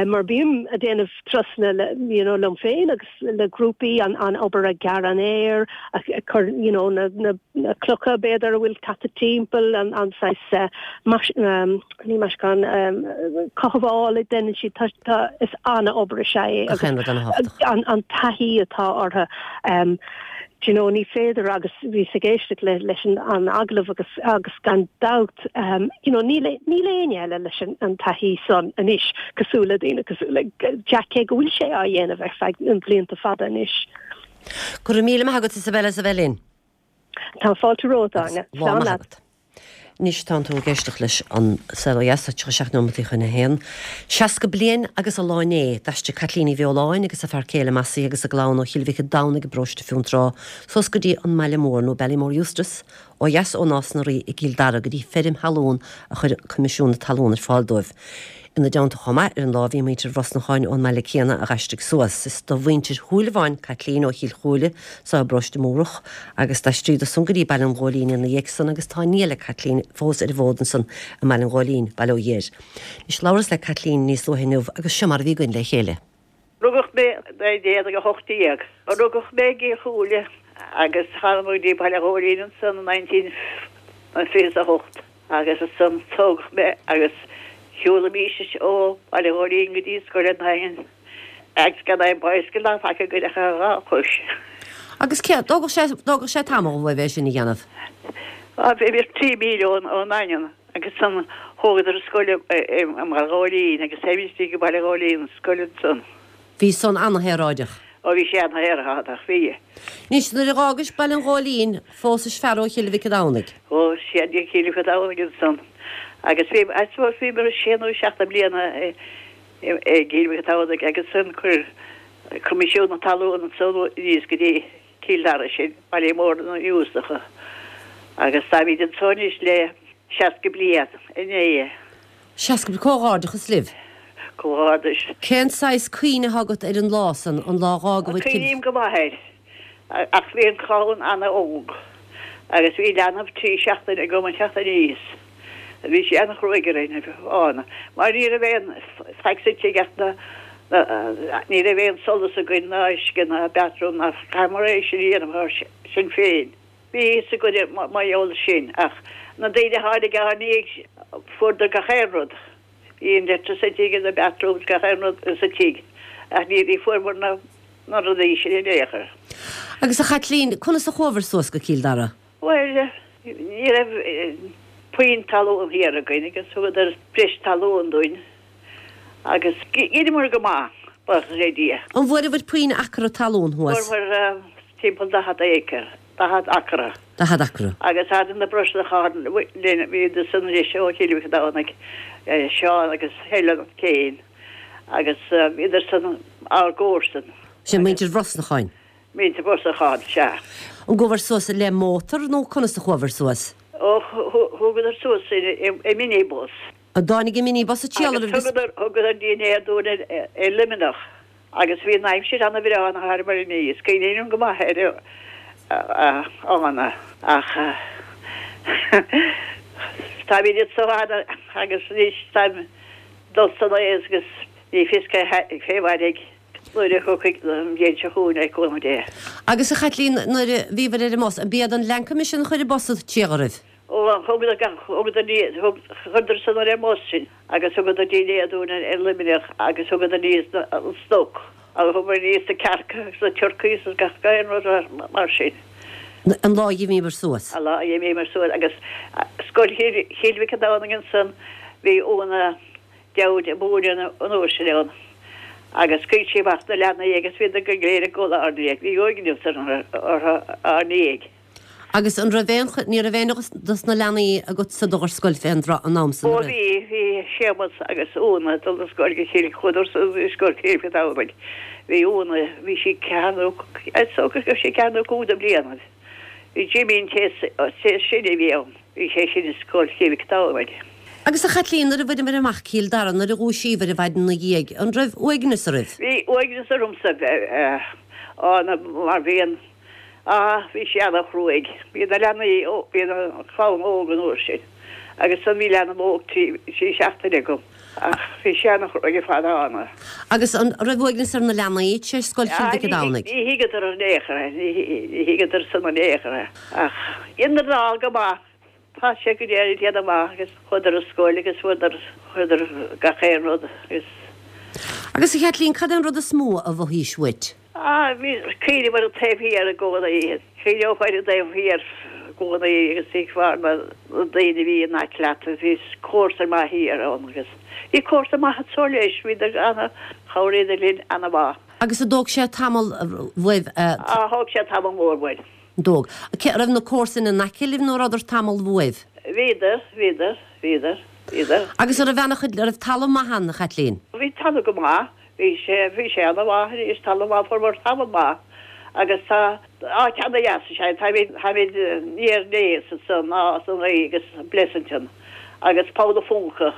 mar bím ag déanamh turasanna le you know liom féin agus le grúpaí an an obair ag gearradh an fhéir, ag cur you know na na na clocha b'fhéidir a bhfuil caite timpeall an an saghas mais ní meascán cothabháil a dhéanann siad tá tá is an-obair is ea é agus an an taithí atá orthu. Do you know, ní féidir agus bhíos ag éisteacht le leis an an agallamh agus agus gan dabht um, you know, níl níl éinne eile leis an, an taithí san anois cosúil le daoine cosúil le Jack cé go bhfuil sé á dhéanamh ar feadh na blianta fada anois. Go raibh míle maith agat Isabella as a bheith linn. Tá fáilte romhat, Áine. Lá maith agat. Anois tánn tú ag éisteacht leis an Saol Ó Dheas, tá tríocha seacht nóimeataí chun a haon. Seasca bliain agus an lá inné, d'aistrigh Caitlín Uí Bheoláin agus a fear céile Mossie agus a gclann ó Chill Mhic an Domhnaigh i bparóiste Fionntrá suas go dtí an mbaile mór nó Ballymore Eustace ó dheas ó Nás na Rí i gCill Dara go dtí feirm thalún a chuir Coimisiún na Talún ar fáil dóibh. Ina dteannta chomh maith ar an lá bhí muintir Bhrosnacháin ón mbaile céanna a dh'aistrigh suas. Is do mhuintir Shúilleabháin Caitlín ó Chill Chúile so i bparóiste Múrach agus d'aistríodar san go dtí Baile an Ghóilín ina dhiaidh san agus tá nia le Caitlín fós ar an bhfód ansan i mBaile an Ghóilín, Baile Ó Dhéir. Anois labhras le Caitlín níos luaithe inniu agus seo mar a bhí againn le chéile. Rugadh mé naoi déag a hocht déag. Rugadh mé i gCill Chúile agus tháinig go dtí Baile an Ghóilín ansan i nineteen fiche is a hocht. Agus ansan tógadh mé agus shiúlaimís ó Bhaile Ghóilín go dtí scoil an Daingin agus gan aon bicycle ná faic againn ach ar dhá chois. Agus cé, d'fhágadh sé, d'fhágadh sé tamall uaibh é sin a dhéanamh? Á, bhí trí míle ón, ón nDaingean agus ansan thógadar an scoil i mBaile Ghóilín agus théimís go Baile Ghóilín an scoil ansan. Bhí san ana-shaoráideach. Ó bhí sé ana-shaoráideach, bhí. Anois, nuair a dh'fhágais Baile an Ghóilín, phósais fear ó Chill Mhic an Domhnaigh. Ó, sea, ó Chill Mhic an Domhnaigh ansan. Agus bhí, I suppose, bhíomar sé nó seacht de bhliana i gCill Mhic an Domhnaigh agus ansan chuir Coimisiún na Talún ansan aníos go dtí Cill Dara sinn, baile mór na nGiústach. Agus táimid anso anois le seasca bliain inné. Seasca bliain, comhghairdeachas libh. Comhghairdeas. Cén saghas cuimhne atá agat ar an lá san, an lá dh'fhágabhair Cill. Cuimhním go maith air, ach bhí an clann ana-óg agus bhí leanbh trí seachtaine agam an teacht aníos. Bhí sé ana-chruaidh orainn, Áine, mar ní raibh aon faic sa tigh ach na, na, ní raibh aon solas againn ná uisce ná bathroom ná chaitheamar é sin a dhéanamh ár sinn féin. Bhí fhios againn mar gheall sin ach na daoine a tháinig ár ndiaidh fuaireadar gach aon rud. Bhí an electricity agus na bathrooms gach aon rud sa tigh ach ní ní fuaireamar na na rudaí sin in aon chor. Agus a Chaitlín, conas a chuabhair suas go Cill Dara? Bhuel, ní raibh puinn talún thiar againn agus thugadar breis talún dúinn agus dheineamar go maith, buíochas le Dia. An bhfuaireabhair puinn acra talún thuas? Fuaireamar timpeall daichead acre. Daichead acra. Daichead acra. Agus tháinig na Brosnacháin linn, bhíodar san anois ó Chill Mhic an Domhnaigh, Seán agus Helen Kane, agus bhíodar san ár gcomharsain. Sin muintir Bhrosnacháin? Muintir Bhrosnacháin, sea. An gcuabhair suas le mótar nó conas a chuabhair suas? Ó, thugadar suas sinn i minibus. An dtáinig an minibus a triall oraibh Agus thugadar, thugadar dinnéar dúinn i Luimneach. Agus bhí an aimsir ana bhreá ina thar mar inné, is cuimhin liom go maith ar Ána, ach táimid anso agus anois táim dul san aos agus ní fios cé mhairfidh nuair a thiocfaidh an bhliain seo chugainn le cúnamh Dé. Agus a Chaitlín, nuair a bhíobhair ar an mbus, an b'iad an Leancaimais sin a chuir an bus tír oraibh? Ó, thugadar gach, thugadar ní, thug, chuireadar san ar an mbus sinn agus thugadar dinnéar dúinn ar Luimneach agus thugadar aníos an stoc agus thugadar aníos na cearca agus na turcaí agus gach aon rud mar sin. An lá a d'imíomar suas. An lá a d'imíomar suas agus Scoil Chill Mhic an Domhnaigh ansan, bhí Úna Dowd ag múineadh an uair sin ann agus scaoil sí amach na leanaí agus bhíodar go léir ag gabháil ár ndiaidh, bhí uaigneas orthu ár ndiaidh. Agus an raibh aon, ní raibh aon dos na leanaí agatsa ag dul ar scoil fén dtráth, an am san, Ó an raibh? bhí, bhí Séamus agus Úna ag dul ar scoil go Chill, chuadar sa scoil Chill Mhic an Domhnaigh. Bhí Úna, bhí sí ceathair nó, is dócha go raibh sí ceathair nó cúig de bhlianaibh. Bhí Jimí an té is sine a bhí ann, bhí sé sin i Scoil Chill Mhic Domhnaigh. Agus a Chaitlín, nuair a bhaineamair amach Cill Dara, nuair a dhúisíobhair ar maidin ina dhiaidh, an raibh uaigneas oraibh? Bhí uaigneas ormsa ann mar bhí an, ah, bhí sé ana-chruaidh. Bhí na leanaí, bhí an chlann óg an uair sin agus san bhí leanbh óg trí, trí seachtaine agam. Ach bhí sé ana-chruaidh ar fad ann. Agus an raibh uaigneas ar na leanaí tar éis Scoil Chill Mhic an Domhnaigh? Ní thuigeadar in aon chor é, ní thuigeadar san in aon chor é. Ach dheineadar dál go maith, tá sé go léir ag déanamh maith agus chuadar ar scoil agus fuaireadar, fuaireadar gach aon rud agus. Agus a Chaitlín, cad é an rud is mó a mhothaís uait? Ah, bhí cuimhneamh ar an taobh thiar i gcónaí. Chuimhneofá ar an dtaobh thiar i gcónaí agus thuigfeá na daoine a bhí in aice leat agus bhí comharsa maith thiar ann agus bhí comharsa maith anso leis, bhíodar ana, chabhraíodar linn ana mhaith. Agus an dtóg sé tamall uaibh? Ah, thóg sé tamall mór uainn. Dtóg. Cé, raibh na comharsain in aice libh nó rabhadar tamall uaibh? Bhíodar, bhíodar, bhíodar, bhíodar. Agus an raibh ana-chuid, an raibh talamh maith ann, a Chaitlín? Bhí talamh go maith. Bhí sé, bhí sé ana mhaith arís, talamh maith, fuaireamar talamh maith agus tá áit ana dheas is ea, táimid, táimid near Naas anso, Nás an Rí agus Blessington agus Poll a' Phúca,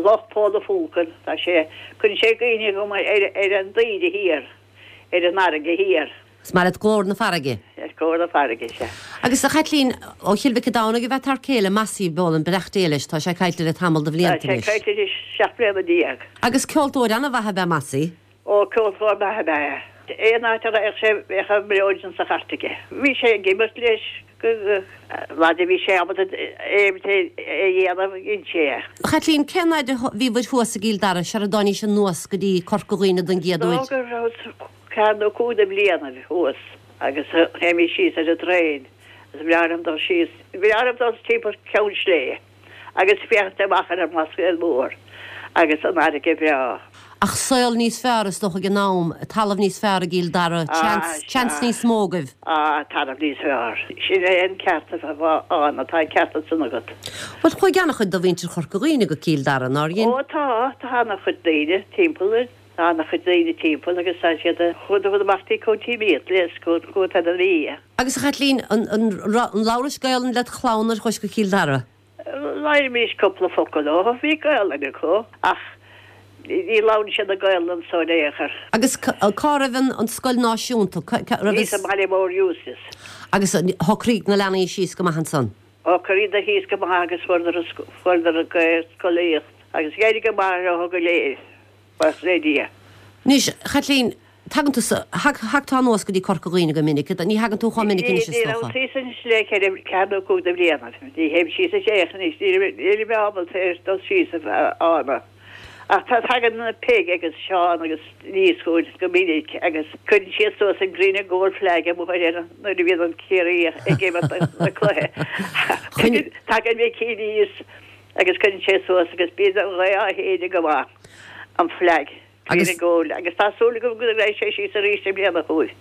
Loch Poll a' Phúca, tá sé, cuireann sé i gcuimhne dhom ar, ar an dtaoide thiar, ar an fharraige thiar. Is maith leat glór na farraige. Is glór na farraige, sea. Agus a Chaitlín, ó Chill Mhic an Domhnaigh ab ea t'fhear céile, Mossie Boland, beannacht Dé leis, tá sé caillte le tamall de bhlianta Tá sé anois. caillte anois seacht mbliana déag. Agus ceoltóir an-mhaith ab ea Mossie. Ó, ceoltóir maith ab ea é. Aon áit a raghadh sé bheadh an mhileoidean sa chairt aige. Bhí sé ag imirt leis go, fhad a bhí sé ábalta é a dhéanamh, dhein sé é. A Chaitlín, cén fhaid a bhíobhair thuas i gCill Dara sar a dtáinís anuas go dtí Corca Dhuibhne don gcéad uair? Is dócha go raibh Ceathair nó cúig de bhlianaibh thuas agus théimís síos ar an dtraein agus ba bhreá liom dul síos, ba bhreá liom dul timpeall Ceann Sléibhe agus féachaint amach ar an mBlascaod Mór agus an fharraige bhreá. Ach saol níos fearr is dócha ag an am, talamh níos fearr i gCill Dara, Ah, seans sea. níos mó agaibh. Ah, talamh níos fearr. Sin é an ceart atá, tá an ceart ansan agat. Bhuel, chuaigh an-chuid de mhuintir Chorca Dhuibhne go Cill Dara, nár dhein? Ó tá, tá an-chuid daoine timpeall. Tá ana-chuid daoine timpeall agus tá siad ag chuadar amach dtí County Meath le chuad fhad an Mhí. Agus a Chaitlín, an labhrais Gaolainn led chlann nuair a chuais go Cill Dara? Labhraímis cúpla focal leo, bhí Gaolainn acu ach ní labhrann siad an Ghaolainn anso in aon chor. Agus cá raibh an scoil náisiúnta? Thíos sa mbaile mór Eustace. Agus shocraigh na leanaí síos go maith ansan? Shocraíodar thíos go maith agus fuaireadar an Ghaelscolaíocht agus d'éirigh go maith leo go léir. Buíochas le Dia. Anois, a Chaitlín, tagann tú, thagtá anuas go dtí Corca Dhuibhne go minic, ní thagann tú chomh minic anois is Ní dócha. raibh síos anois le ceithre, ceathair nó cúig de bhlianaibh. Ní théim síos is éach anois, níl mé ábalta ar dul síos a Ána. Ach tá, tagann Peig agus Seán agus aníos chugainn go minic agus cuireann siad suas an green and gold flag amuigh ar an, nuair a bhíonn an Ciarraí ag imirt na cluiche. Tagann Micí aníos Agus cuireann sé suas agus bíonn an ghaoth á shéideadh go maith, an flag, green and gold, agus tá súil agam go raghaidh sé síos arís i mbliana chugainn.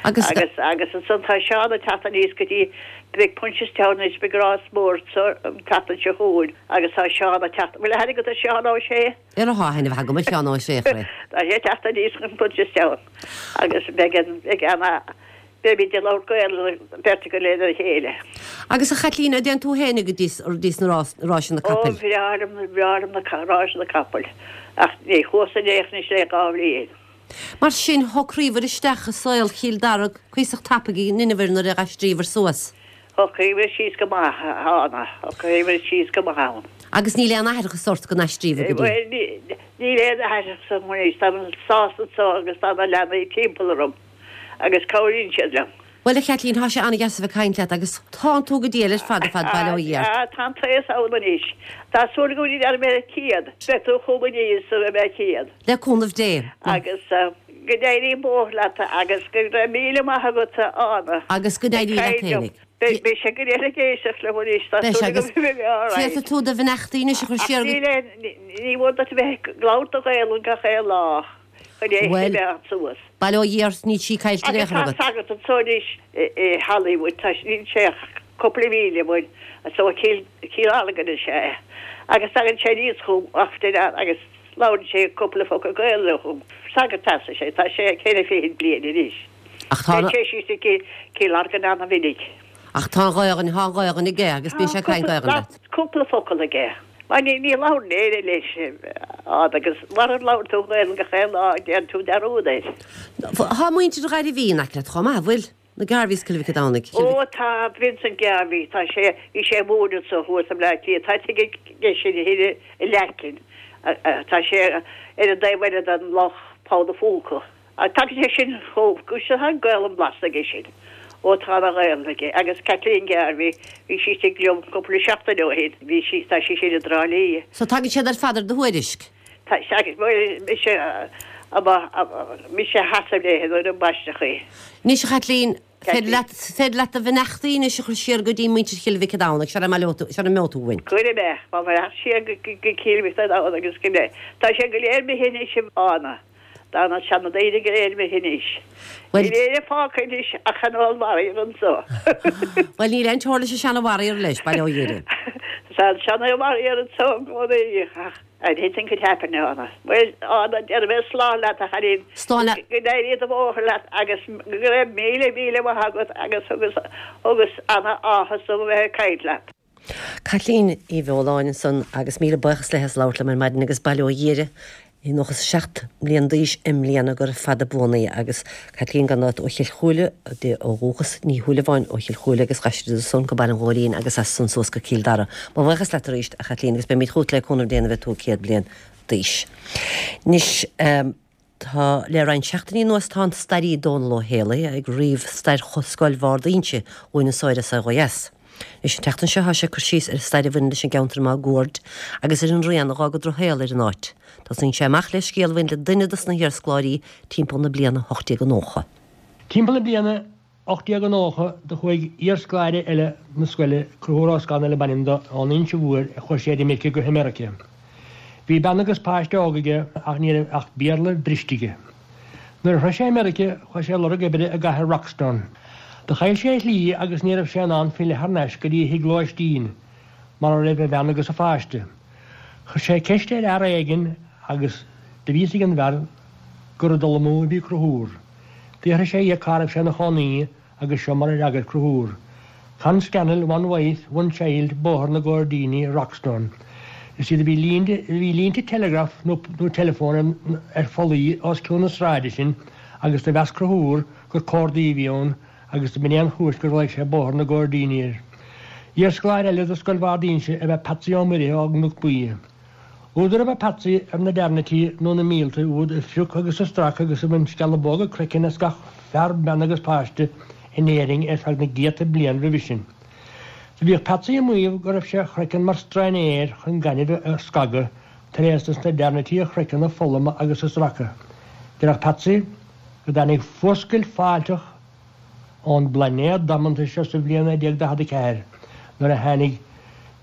Agus. Agus, agus ansan tá Seán ag teacht aníos go dtí, beidh Punchestown anois, beidh rás mór anso an tseachtain seo chugainn agus tá Seán ag teacht, bhfuil aithne agat ar Seán Ó Sé? Ar tá aithne mhaith agam ar Sheán Ó Sé, a chroí. Tá sé ag teacht aníos chun Punchestown agus beidh an, beidh ana, Beimid ag labhairt Gaelainne beirt againn lena chéile. Agus a Chaitlín, an dtéann tú fhéinig go dtí sna ráiseanna Ó, capaill? bhreá liom, bhreá liom na ráiseanna capaill, ach ní chuas in aon chor anois le dhá bhliain. Mar sin, shocraíobhair isteach i saol Chill Dara cuíosach tapaidh in Inbhir nuair a d'aistríobhair suas. Shocraíomar síos go maith, a Ána, shocraíomar síos go maith ann. Agus níl aon aithreachas ort go n-aistríobhair go dtí. Bhuel, níl aon aithreachas orm anois, táim sásta anso agus tá na leanaí timpeall orm agus cabhraíonn siad liom. Bhuel, a Chaitlín, tá sé an-deas a bheith ag caint leat agus tánn tú go diail ar fad ar fad, bail ó Dhia ort. Á, tá an t-aos ann anois. Tá súil agam go dtí mé céad. Beidh tú chugam aníos sula mbeidh mé céad. Le cúnamh Dé. Agus go n-éirí an bóthar leat agus go raibh míle maith agat, a Ána. Agus go n-éirí leat fhéinig. Beidh sé go léir ag éisteacht liom anois, tá Beidh sé súil agam agus go mbeidh mé alright. Féadfaidh tú do bheannachtaí anois a chur Ach siar go. níl aon, ní mór duit a bheith ag labhairt do Ghaelainn gach aon lá chun é a Bhuel, choimeád suas. bail ó Dhia ort, níl sí caillte in aon Agus chor tá agat. sagart anso anois i Hollywood, tá, níl sé ach cúpla míle uainn, as ó Chill, Cill Airleagan is ea é. Agus tagann sé aníos chugam often agus labhrann sé cúpla focal Gaelainne chugam. Sagart as is ea, tá sé ceithre fichid bliain anois. Ach tá Téann sé síos go Cill Airleagan ana-mhinic. Ach tá an Ghaelainn, tá an Ghaelainn aige agus bíonn Tá sé ag caint cúpla, Gaelainn leat. cúpla focal aige. Mar ní, ní labhrann éinne leis fhad agus mara labhrann tú Gaelainn gach aon lá déanann tú dearúd air. Tá muintir Ghairbhí in aice leat chomh maith, an bhfuil? Na Garveys Cill Mhic an Domhnaigh, Cill Mhic. Ó tá, Vincent Garvey, tá sé, bhí sé ag múineadh anso thuas i mBleá Cliath, tá tigh aige sin thoir i Leacain, tá sé ar an dtaobh eile den loch, Poll a' Phúca. Tagann sé sin chomh, go tá an Gaelainn blasta aige sin. Ó tá ana Ghaelainn aige. Agus Kathleen Garvey, bhí sí istigh liom cúpla seachtain ó shin, bhí sí, tá sí sin i dTrá Lí. So tagann siad ar fad ar do thuairisc? Tá, agus bhuel, mise, mise a sheasamh léi nuair a baisteadh í. Anois a Chaitlín, féidir leat, féidir leat do bheannachtaí anois a chur siar go dtí muintir Chill Mhic an Domhnaigh, sara mbaileoidh tú, sara n-imeoidh tú uainn. Cuirfidh mé, mo bheannacht siar go, go Cill Mhic an Domhnaigh agus go, tá sé go léir imithe anois a Ána. Tá na seandaoine go léir imithe anois. Bhuel. Níl éinne fágtha anois ach an old warrior anso. Bhuel níl aon teora leis an seana warrior leis, bail ó Dhia air. Tá an seana warrior anso i gcónaí ach anything could happen a Ána. Bhuel Ána déarfaidh mé slán leat a chailín. Slán leat. Go n-éirí do bhóthar leat agus go raibh míle míle maith agat agus agus agus ana áthas dom a bheith ag caint leat. Caitlín Uí Bheoláin ansan agus míle buíochas léi as labhairt liom ar maidin agus bail ó Dhia uirthi, í nócha is a seacht mbliain d'aois i mbliana gura fada buan í agus Caitlín gan dabht ó Chill Chúile di ó dhúchas, Ní Shúilleabháin ó Chill Chúile agus d'aistrigh ansan go Baile an Ghóilín agus as san suas go Cill Dara. Mo bhuíochas leat arís a Chaitlín agus beimid chugat le cúnamh Dé nuair a bheidh tú céad bliain d'aois. Anois. Tá le roinnt seachtainí anuas tá an staraí Dónal Ó Héalaí ag ríomh stair Scoil Bhard Fhínse dhúinn anso ar An Saol Ó Dheas. Anois an tseachtain seo tá sé ag cur síos ar an stair a bhaineann leis an gceantar máguaird agus ar an rian a dh'fhág an drochshaol ar an áit. Tosaíonn sé amach le scéal a bhain le duine dos na hiarscoláirí timpeall na bliana ocht déag nócha. Timpeall na bliana ocht déag nócha do chuaigh iarscoláire eile na scoile, Conchúr Ó Scanaill ab ainm dó, ón Inse Mhór chuaigh sé ar imirce go hAmeirice. Bhí bean agus páiste óg aige ach ní raibh ach Béarla briste aige. Nuair a shroich sé Meirice chuaigh sé ag lorg oibre i gcathair Rockstone. Do chaill sé a shlí agus ní raibh sé in ann filleadh thar n-ais go dtí a thigh lóistín mar a raibh a bhean agus a pháiste. Chuir sé ceist ar fhear éigin agus do bhí fhios ag an bhfear gur ag dul amú a bhí Conchúr. D'fhiafraigh sé dhe cá raibh sé ina chónaí agus seo mar a d'fhreagair Conchúr, Con Scannell, one wife, one child, Bóthar na gCoirdíní, Rockstone. Is iad a bhí línte, bhí línte teileagraif nó nó teileafóin ar phollaí os cionn na sráide sin agus do mheas Conchúr gur cordaí a bhí ann agus do b'in é an chúis gur ghlaoigh sé Bóthar na gCoirdíní air. Iarscoláire eile de Scoil Bhard Fhínse ab ea Patsy Ó Muirithe ó gCnoc Buí. Údar ab ea Patsy ar na Dearnaití nó na míolta úd a phrioc agus a strac agus a bhain sceallabóga craicinn as gach fear, bean agus páiste in Éirinn ar feadh na gcéadta bliain roimhe sin. Do bhíodh Patsy ag maíomh go raibh sé a chraiceann mar strainséir chun gaineamh a scagadh tar éis dos na dearnaití a chraiceann a pholladh agus a stracadh. Déarfadh Patsy go dtáinig fuascailt fáilteach ón bplainéad damanta seo sa bhliain naoi déag daichead a ceathair nuair a tháinig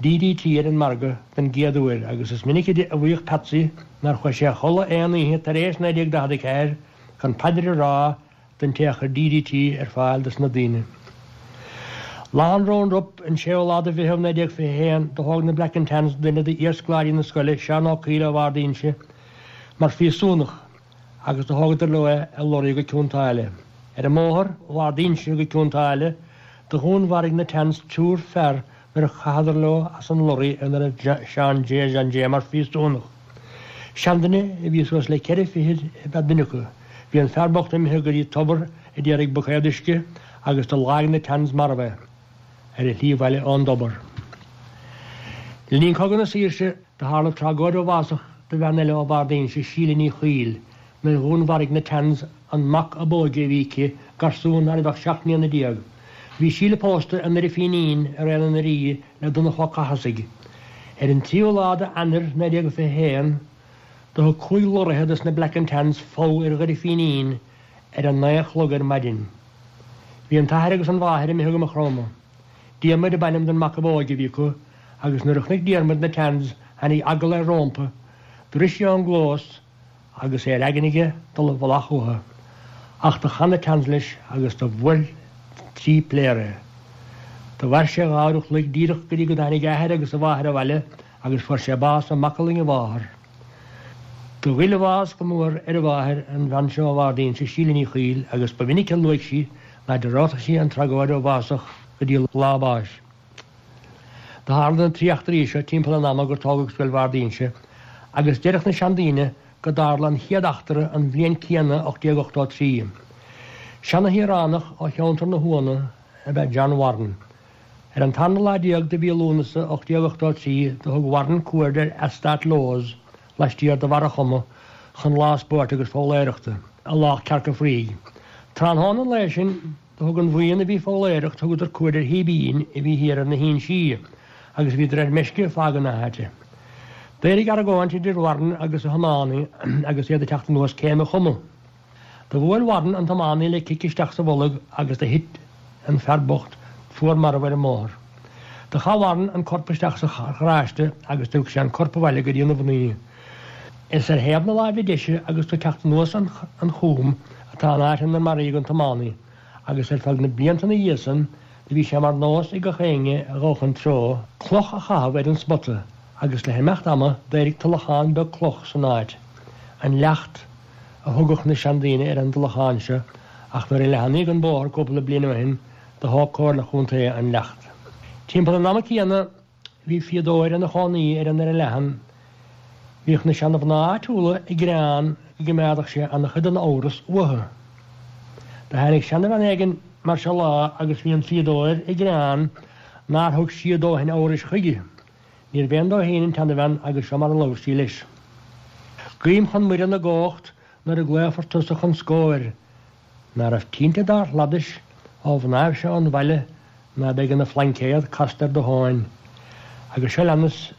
D D T ar an margadh den gcéad uair agus is minic a mhaíodh Patsy nár chuaigh sé a chodladh aon oíche tar éis naoi déag daichead a ceathair gan paidir a rá don té a chuir D D T ar fáil dos na daoine. Lá an Round-Up, an séú lá de Mheitheamh naoi déag fiche a haon, do thóg na Black and Tans duine d'iarscoláirí na scoile, Seán Ó Caoil ó Bhard Fhínse, mar phríosúnach agus do thógadar leo é i lorry go Cionn tSáile. Ar an mbóthar ó Bhard Fhínse go Cionn tSáile, do dhúnmharaigh na Tans triúr fear nuair a chaitheadar leo as an lorry ina raibh Seán J. John J. mar phríosúnach. Seanduine a bhí suas le ceithre fichid ab ea duine acu, Bhí an fear bocht imithe go dtí tobar ag iarraidh buicéad uisce agus do leag na Tans marbh é ar a shlí abhaile ón dtobar. Le linn Cogadh na Saoirse do tharla tragóid uafásach do bhean eile ó Bharr d'Inse, Síle Ní Chuill, nuair a dhúnmharaigh na Tans an mac ab óige a bhí aici, garsún ná raibh ach seacht mbliana déag. Bhí Síle pósta i nDoire Fínín ar Oileán an Rí le Donnchadh Ó Cathasaigh. Ar an tríú lá d'Eanáir naoi déag fiche haon, do thug cúig lorraithe dos na Black and Tans fogha ar Dhoire Fínín ar a naoi a chlog ar maidin. Bhí an t-athair agus an mháthair imithe go Maigh Chromtha. Diarmuid ab ainm don mac ab óige a bhí acu agus nuair a chonaic Diarmuid na Tans tháinig eagla air rómpa, do rith sé ón gclós agus é ar aigne aige dul i bhfolach uathu. Ach do chan na Tans leis agus do bhuail trí pléara é. Do mhair sé dhá uair a chloig díreach go dtí go dtáinig a athair agus a mháthair abhaile agus fuair sé bás i macallainn a mháthar. Do ghoill a bhás go mór ar a mháthair, an bhean seo ó Bharr d'Inse, Síle Ní Chuill, agus ba mhinic a luaigh sí ná dearúdfadh sí an tragóid uafásach go dtí lá a báis. Do tharla na trí eachtraí seo timpeall an ama gur tógadh Scoil Bharr d'Inse, agus deireadh na seandaoine go dtarla an chéad eachtra an bhliain céanna ocht déag ochtó a trí. Seana-shaoránach ó cheantar na hUanna ab ea John Warren. Ar an tarna lá déag de mhí Lúnasa ocht déag ochtó a trí do thug Warren cuaird ar eastát Lowes laistiar de Bharra Choma chun lá spóirt agus foghlaeireachta i Loch Cearca Fraoigh. Tráthnóna an lae sin do thug an bhuíon a bhí ag foghlaeireacht thugadar cuaird ar shíbín a bhí thiar ar na hInsí agus bhíodar ar meisce ag fágaint na háite. D'éirigh argóint idir Warren agus a thiománaí agus iad ag teacht anuas céim an chuma. Do bhuail Warren an tiománaí le cic isteach sa bholg agus do thit an fear bocht fuar marbh ar an mbóthar. Do chaith Warren an corp isteach sa gharáiste agus do thug sé an corp abhaile go dtí na mhnaoi. Is ar thaobh na láimhe deise agus tú ag teacht anuas an chúm atá an áit inar maraíodh an tiománaí agus ar feadh na blianta ina dhiaidh san do bhí sé mar nós ag gach éinne a ghabhadh an treo cloch a chaitheamh ar an spota agus le himeacht ama d'éirigh tulachán beag cloch san áit. An Leacht a thugadh na seandaoine ar an dtulachán seo ach nuair a leathnaíodh an bóthar cúpla bliain ó shin do thóg Comhairle Chontae an Leacht. Timpeall an ama céanna bhí fíodóir ina chónaí ar an Doire Leathan. Bhíodh na seanmhná áitiúla ag gearán go gcoimeádadh sé ana-chuid den amhras uathu. Do tháinig seanabhean éigin mar seo lá agus bhí an fíodóir ag gearán nár thug sí a dóthain amhrais chuige. Níorbh aon dó féin an tseanabhean agus seo mar a labhair sí leis. Guím chun Muire na gCumhacht nuair a ghlaofar tusa chun scóir, ná raibh tinte dár shladais ó mhnáibh seo an bhaile ná beidh ina phlaincéad casta ar do thóin. Agus seo leanas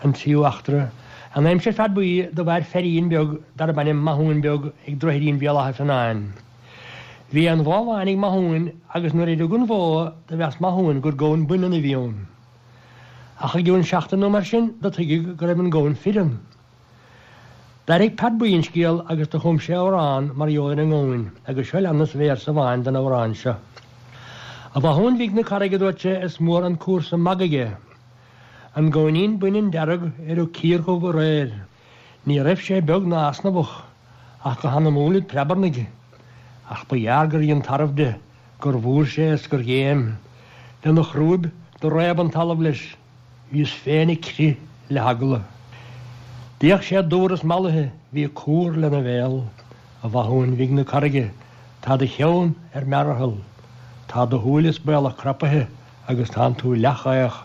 an tríú eachtra. An aimsir Pheaid Buí do mhair feirín beag darb ainm Mathúin Beag ag Droichidín Bhéal Átha Fionnáin. Bhí an bhó bhán ag Mathúin agus nuair a rug an bhó do mheas Mathúin gur gamhain baineann a bhí ann. Ach i gcionn seachtain nó mar sin do tuigeadh go raibh an gamhain fireann. D'airigh Peaid Buí an scéal agus do chum sé amhrán mar gheall ar an ngamhain agus seo leanas véarsa amháin den amhrán seo. A Mhathúin bhig na Carraige a dúirt sé is mór an cúrsa magaidh é. An gamhainín baineann dearg ar rug cíor dhubh aréir. Ní raibh sé beag ná easnamhach, ach go hanamúil ag preabarnaigh. Ach ba ghearr gur dhein tarbh de, gur bhúir sé is gur ghéim. Lena chrúib do réab an talamh leis. Bhíos féin ag crith le heagla. D'fhéach sé dúr is mallaithe, bhí cúr lena bhéal. A Mhathúin bhig na Carraige, tá do cheann ar mearathal. Tá do shúile is baolach crapaithe agus tánn tú leathchaoch.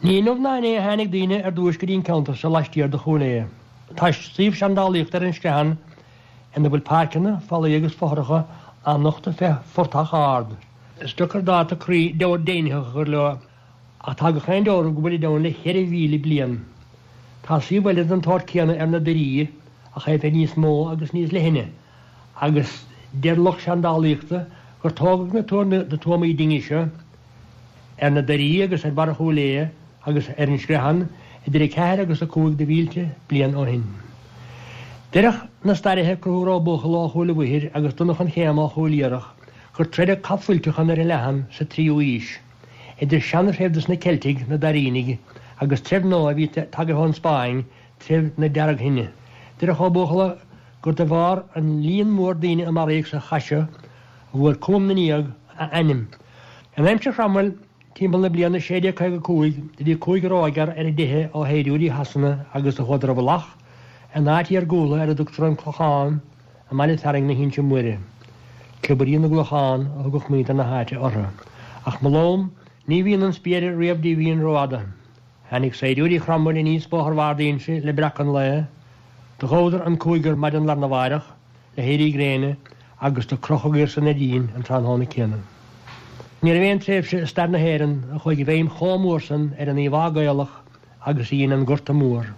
Ní inniu ná inné a tháinig daoine ar dtúis go dtí an ceantar seo laistiar de Chúil Aodha. Tá suíomh seandálaíochta ar an Screathan ina bhfuil páirceanna, fallaí agus fothracha á nochtadh fé phortach ard. Is deacair dáta cruinn deimhnitheach a chur leo ach tá gach aon dealramh go bhfuilid ann le ceithre mhíle bliain. Tá suíomh eile den tsórt céanna ar na Doirí ach é bheith níos mó agus níos leithne agus deir lucht seandálaíochta gur tógadh na tuamaí dinge seo ar na Doirí agus ar Bharra Chúil Aodha agus ar an Screathan idir a ceathair agus a cúig de mhílte bliain ó shin. Deireadh na stairithe Conchúr Ó Buachalla ó Chúil a' Mhuirthir agus Donnchadh an Chéama ó Chúil Iarach gur troideadh cath fuilteach i nDoire Leathan sa tríú haois idir seanthreibh dos na Ceiltigh, na Dairínigh, agus treibh nua a bhí tagaithe ón Spáinn, treibh na Deargthine. Deireadh Ó Buachalla gur de bharr an líon mór daoine a maraíodh sa chath seo a bhfuair Cúm na nDiag a ainm. In aimsir Chromwell, timpeall na bliana sé déag caoga a cúig, do bhí cúigear ógfhear ar a dteitheadh ó shaighdiúirí Shasana agus do chuadar i bhfolach in áit iargúlta ar a dtugtar an Clochán i mbaile fearainn na hInse Móire. Cliobairí na gClochán a thugadh muintir na háite orthu. Ach mo lom, ní bhíonn an spéir riamh díomhaoin rófhada. Tháinig saighdiúirí Chromwell aníos Bóthar Bhard Inse le breacadh an lae. Do ghabhadar an cúigear maidin lá arna mháireach le héirí gréine agus do crochadh iad san ar díon an tráthnóna céanna. Ní raibh aon tréimhse i stair na hÉireann a chuaigh i bhfeidhm chomh mór san ar an íomhá Gaelach agus a dhein an Gorta Mór.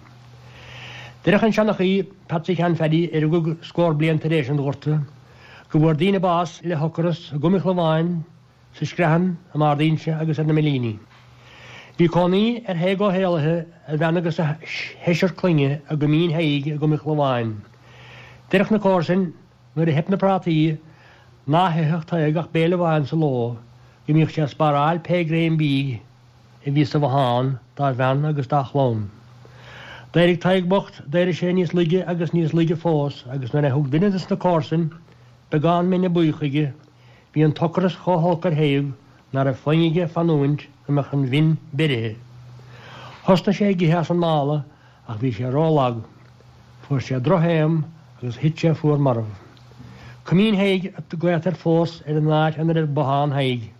Déarfadh an seanchaí, Patsy Sheáin Phaddy, a rugadh scór bliain tar éis an Ghorta, go bhfuair daoine bás le hocras i gCom an Chlabháin, sa Screathan, i mBard Inse agus ar na Millíní. Bhí cónaí ar Thaidhg Ó hÉalaithe, a bhean agus a sheisear clainne i gCoimín Thaidhg i gCom an Chlabháin. Déarfadh na comharsain, nuair a theip na prátaí, ná hitheadh Tadhg ach béile amháin sa ló, go mbíodh sé ag spáráil pé greim bídh a bhí sa bhothán dá bhean agus dá chlann. D'éirigh Tadhg bocht, d'éirigh sé níos laige agus níos laige fós agus nuair a thug duine des na comharsain beagán mine buí chuige, bhí an t-ocras chomh holc ar Thaidhg ná raibh foighne aige fanúint go mbeadh an mhin beirithe. Thosnaigh sé ag ithe as an mála ach bhí sé rólag. Fuair sé drochthaom agus thit sé fuar marbh. Coimín Thaidhg a glaotar fós ar an áit ina raibh bothán Thaidhg.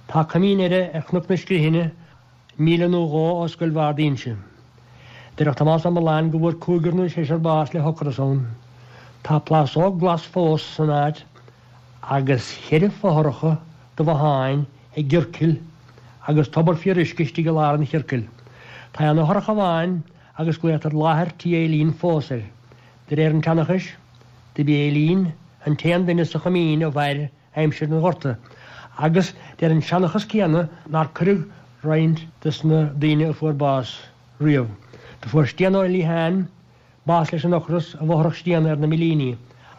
Tá coimín eile ar Chnoc na Scrithinne, míle nó dhó ó Scoil Bhard Inse. Déarfadh Tomás Ó Mealláin go bhfuair cúigear nó seisear bás le hocras ann. Tá plásóg glas fós san áit agus cheithre fothracha de bhotháin i gciorcal agus tobar fíoruisce istigh i lár an chiorcail. Tá an fhothrach amháin agus glaotar láthair tí Eileen fós air. De réir an tseanchais, do b'í Eileen an t-aon duine sa choimín a mhair aimsir an Ghorta, agus deir an seanchas céanna nár cuireadh roinnt des na daoine a fuair bás riamh. Do fuair Stian Ó Liatháin bás leis an ocras i bhfothrach Stian ar na Millíní,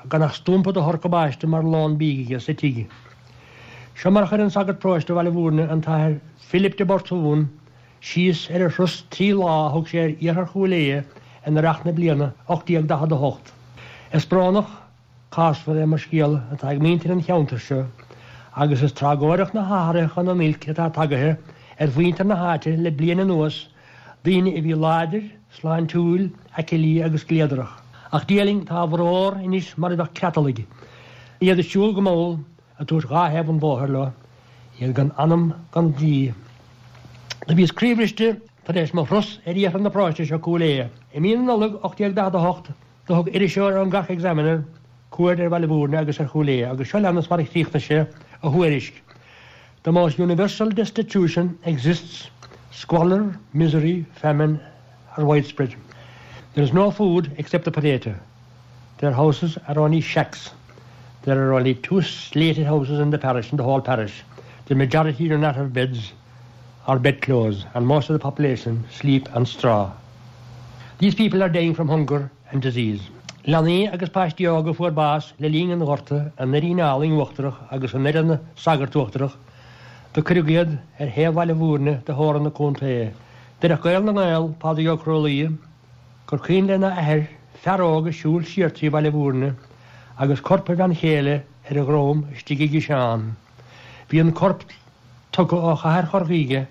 gan ach stumpa de shorcabáiste mar lón bídh aige sa tigh. Seo mar a chuir an sagart paróiste Bhaile Bhúirne, an tAthair Philip de Burtún, síos ar a thuras trí lá a thug sé ar iarthar Chúil Aodha in earrach na bliana ocht déag daichead a hocht. Is brónach cásmhar é mo scéal atá ag muintir an cheantair seo agus is tragóideach na hathruithe chun an oilc atá tagaithe ar mhuintir na háite le bliain anuas, daoine a bhí láidir, sláintiúil, aicilí agus gliadarach. Ach Dia linn, tá a bhformhór anois mar a bheadh creatalaigh, iad ag siúl go mall, ag tabhairt dhá thaobh an bhóthair leo, iad gan anam gan dlí. Do bhíos croíbhriste tar éis mo thuras ar iarthar na paróiste seo Cúil Aodha. I mí na Nollag ocht déag daichead a hocht, do thug iriseoir ón gCork Examiner cuaird ar Bhaile Bhúirne agus ar Chúil Aodha agus seo leanas mar a chríochnaigh sé a thuairisc, The most universal destitution exists, squalor, misery, famine are widespread. There is no food except the potato. Their houses are only shacks. There are only two slated houses in the parish, in the whole parish. The majority do not have beds or bedclothes, and most of the population sleep on straw. These people are dying from hunger and disease. Leanaí agus páistí óga fuair bás le linn an Ghorta i nDoirín Álainn Uachtarach agus i nDoire na Sagart Uachtarach, do cuireadh iad ar thaobh Bhaile Bhúirne de theorainn na contae. Déarfadh Gael na nGael, Pádraig Ó Cruadhlaoich, gur cuimhin lena athair fear óg ag siúl siar trí Bhaile Bhúirne agus corp a bhean chéile ar a dhrom istigh i gciseán. Bhí an corp tugtha ó chathair Chorcaí aige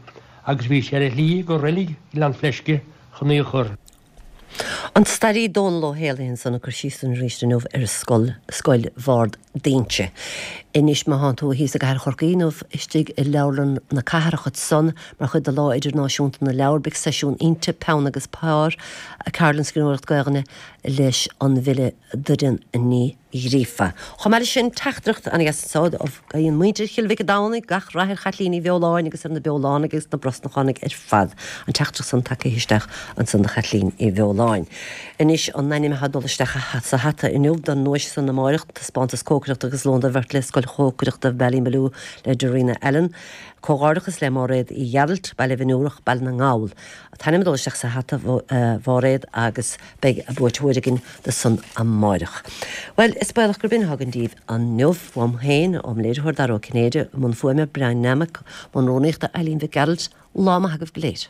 agus bhí sé ar a shlí go reilig Ghleann Fleisce chun í a chur. An staraí Dónal Ó hÉalaithe ansan ag cur síos dúinn arís inniu ar scoil, Scoil Bhard d'Inse. Anois má thánn tú thíos i gcathair Chorcaí nó istigh i Leabharlann na Cathrach ansan mar chuid de Lá Idirnáisiúnta na Leabhar beidh seisiún iontach Peann agus Pár, ceardlann scríbhneoireacht Gaelainne leis an bhfile Doireann Ní Ghríofa. Chomh maith leis sin, teachtaireacht ana-dheas anso ó guíonn muintir Chill Mhic an Domhnaigh gach rath ar Chaitlín Uí Bheoláin agus ar na Beolánaigh agus na Brosnachánaigh ar fad. An teachtaireacht san tagtha isteach ansan do Chaitlín Uí Bheoláin. Anois an ainm atá ag dul isteach sa hata inniu don nduais san amáireach, taispeántas cócaireachta agus lón do bheirt le Scoil Chócaireachta Ballymaloe le Darina Allen. Comhghairdeachas le Máiréad Uí Ghearailt, Baile Bhinn Baile na nGall. An t-ainm ag dul isteach sa hata a Mháiréad agus beidh buaiteoir againn do san amáireach. Well, is baolach gurb in atá againn daoibh inniu uaim féin, óm léiritheoir Dara Ó Cinnéide, i mbun fuaime Brian Nammock, i mbun rúnaíochta Eileen Mhic Gearailt, lá maith agaibh go léir.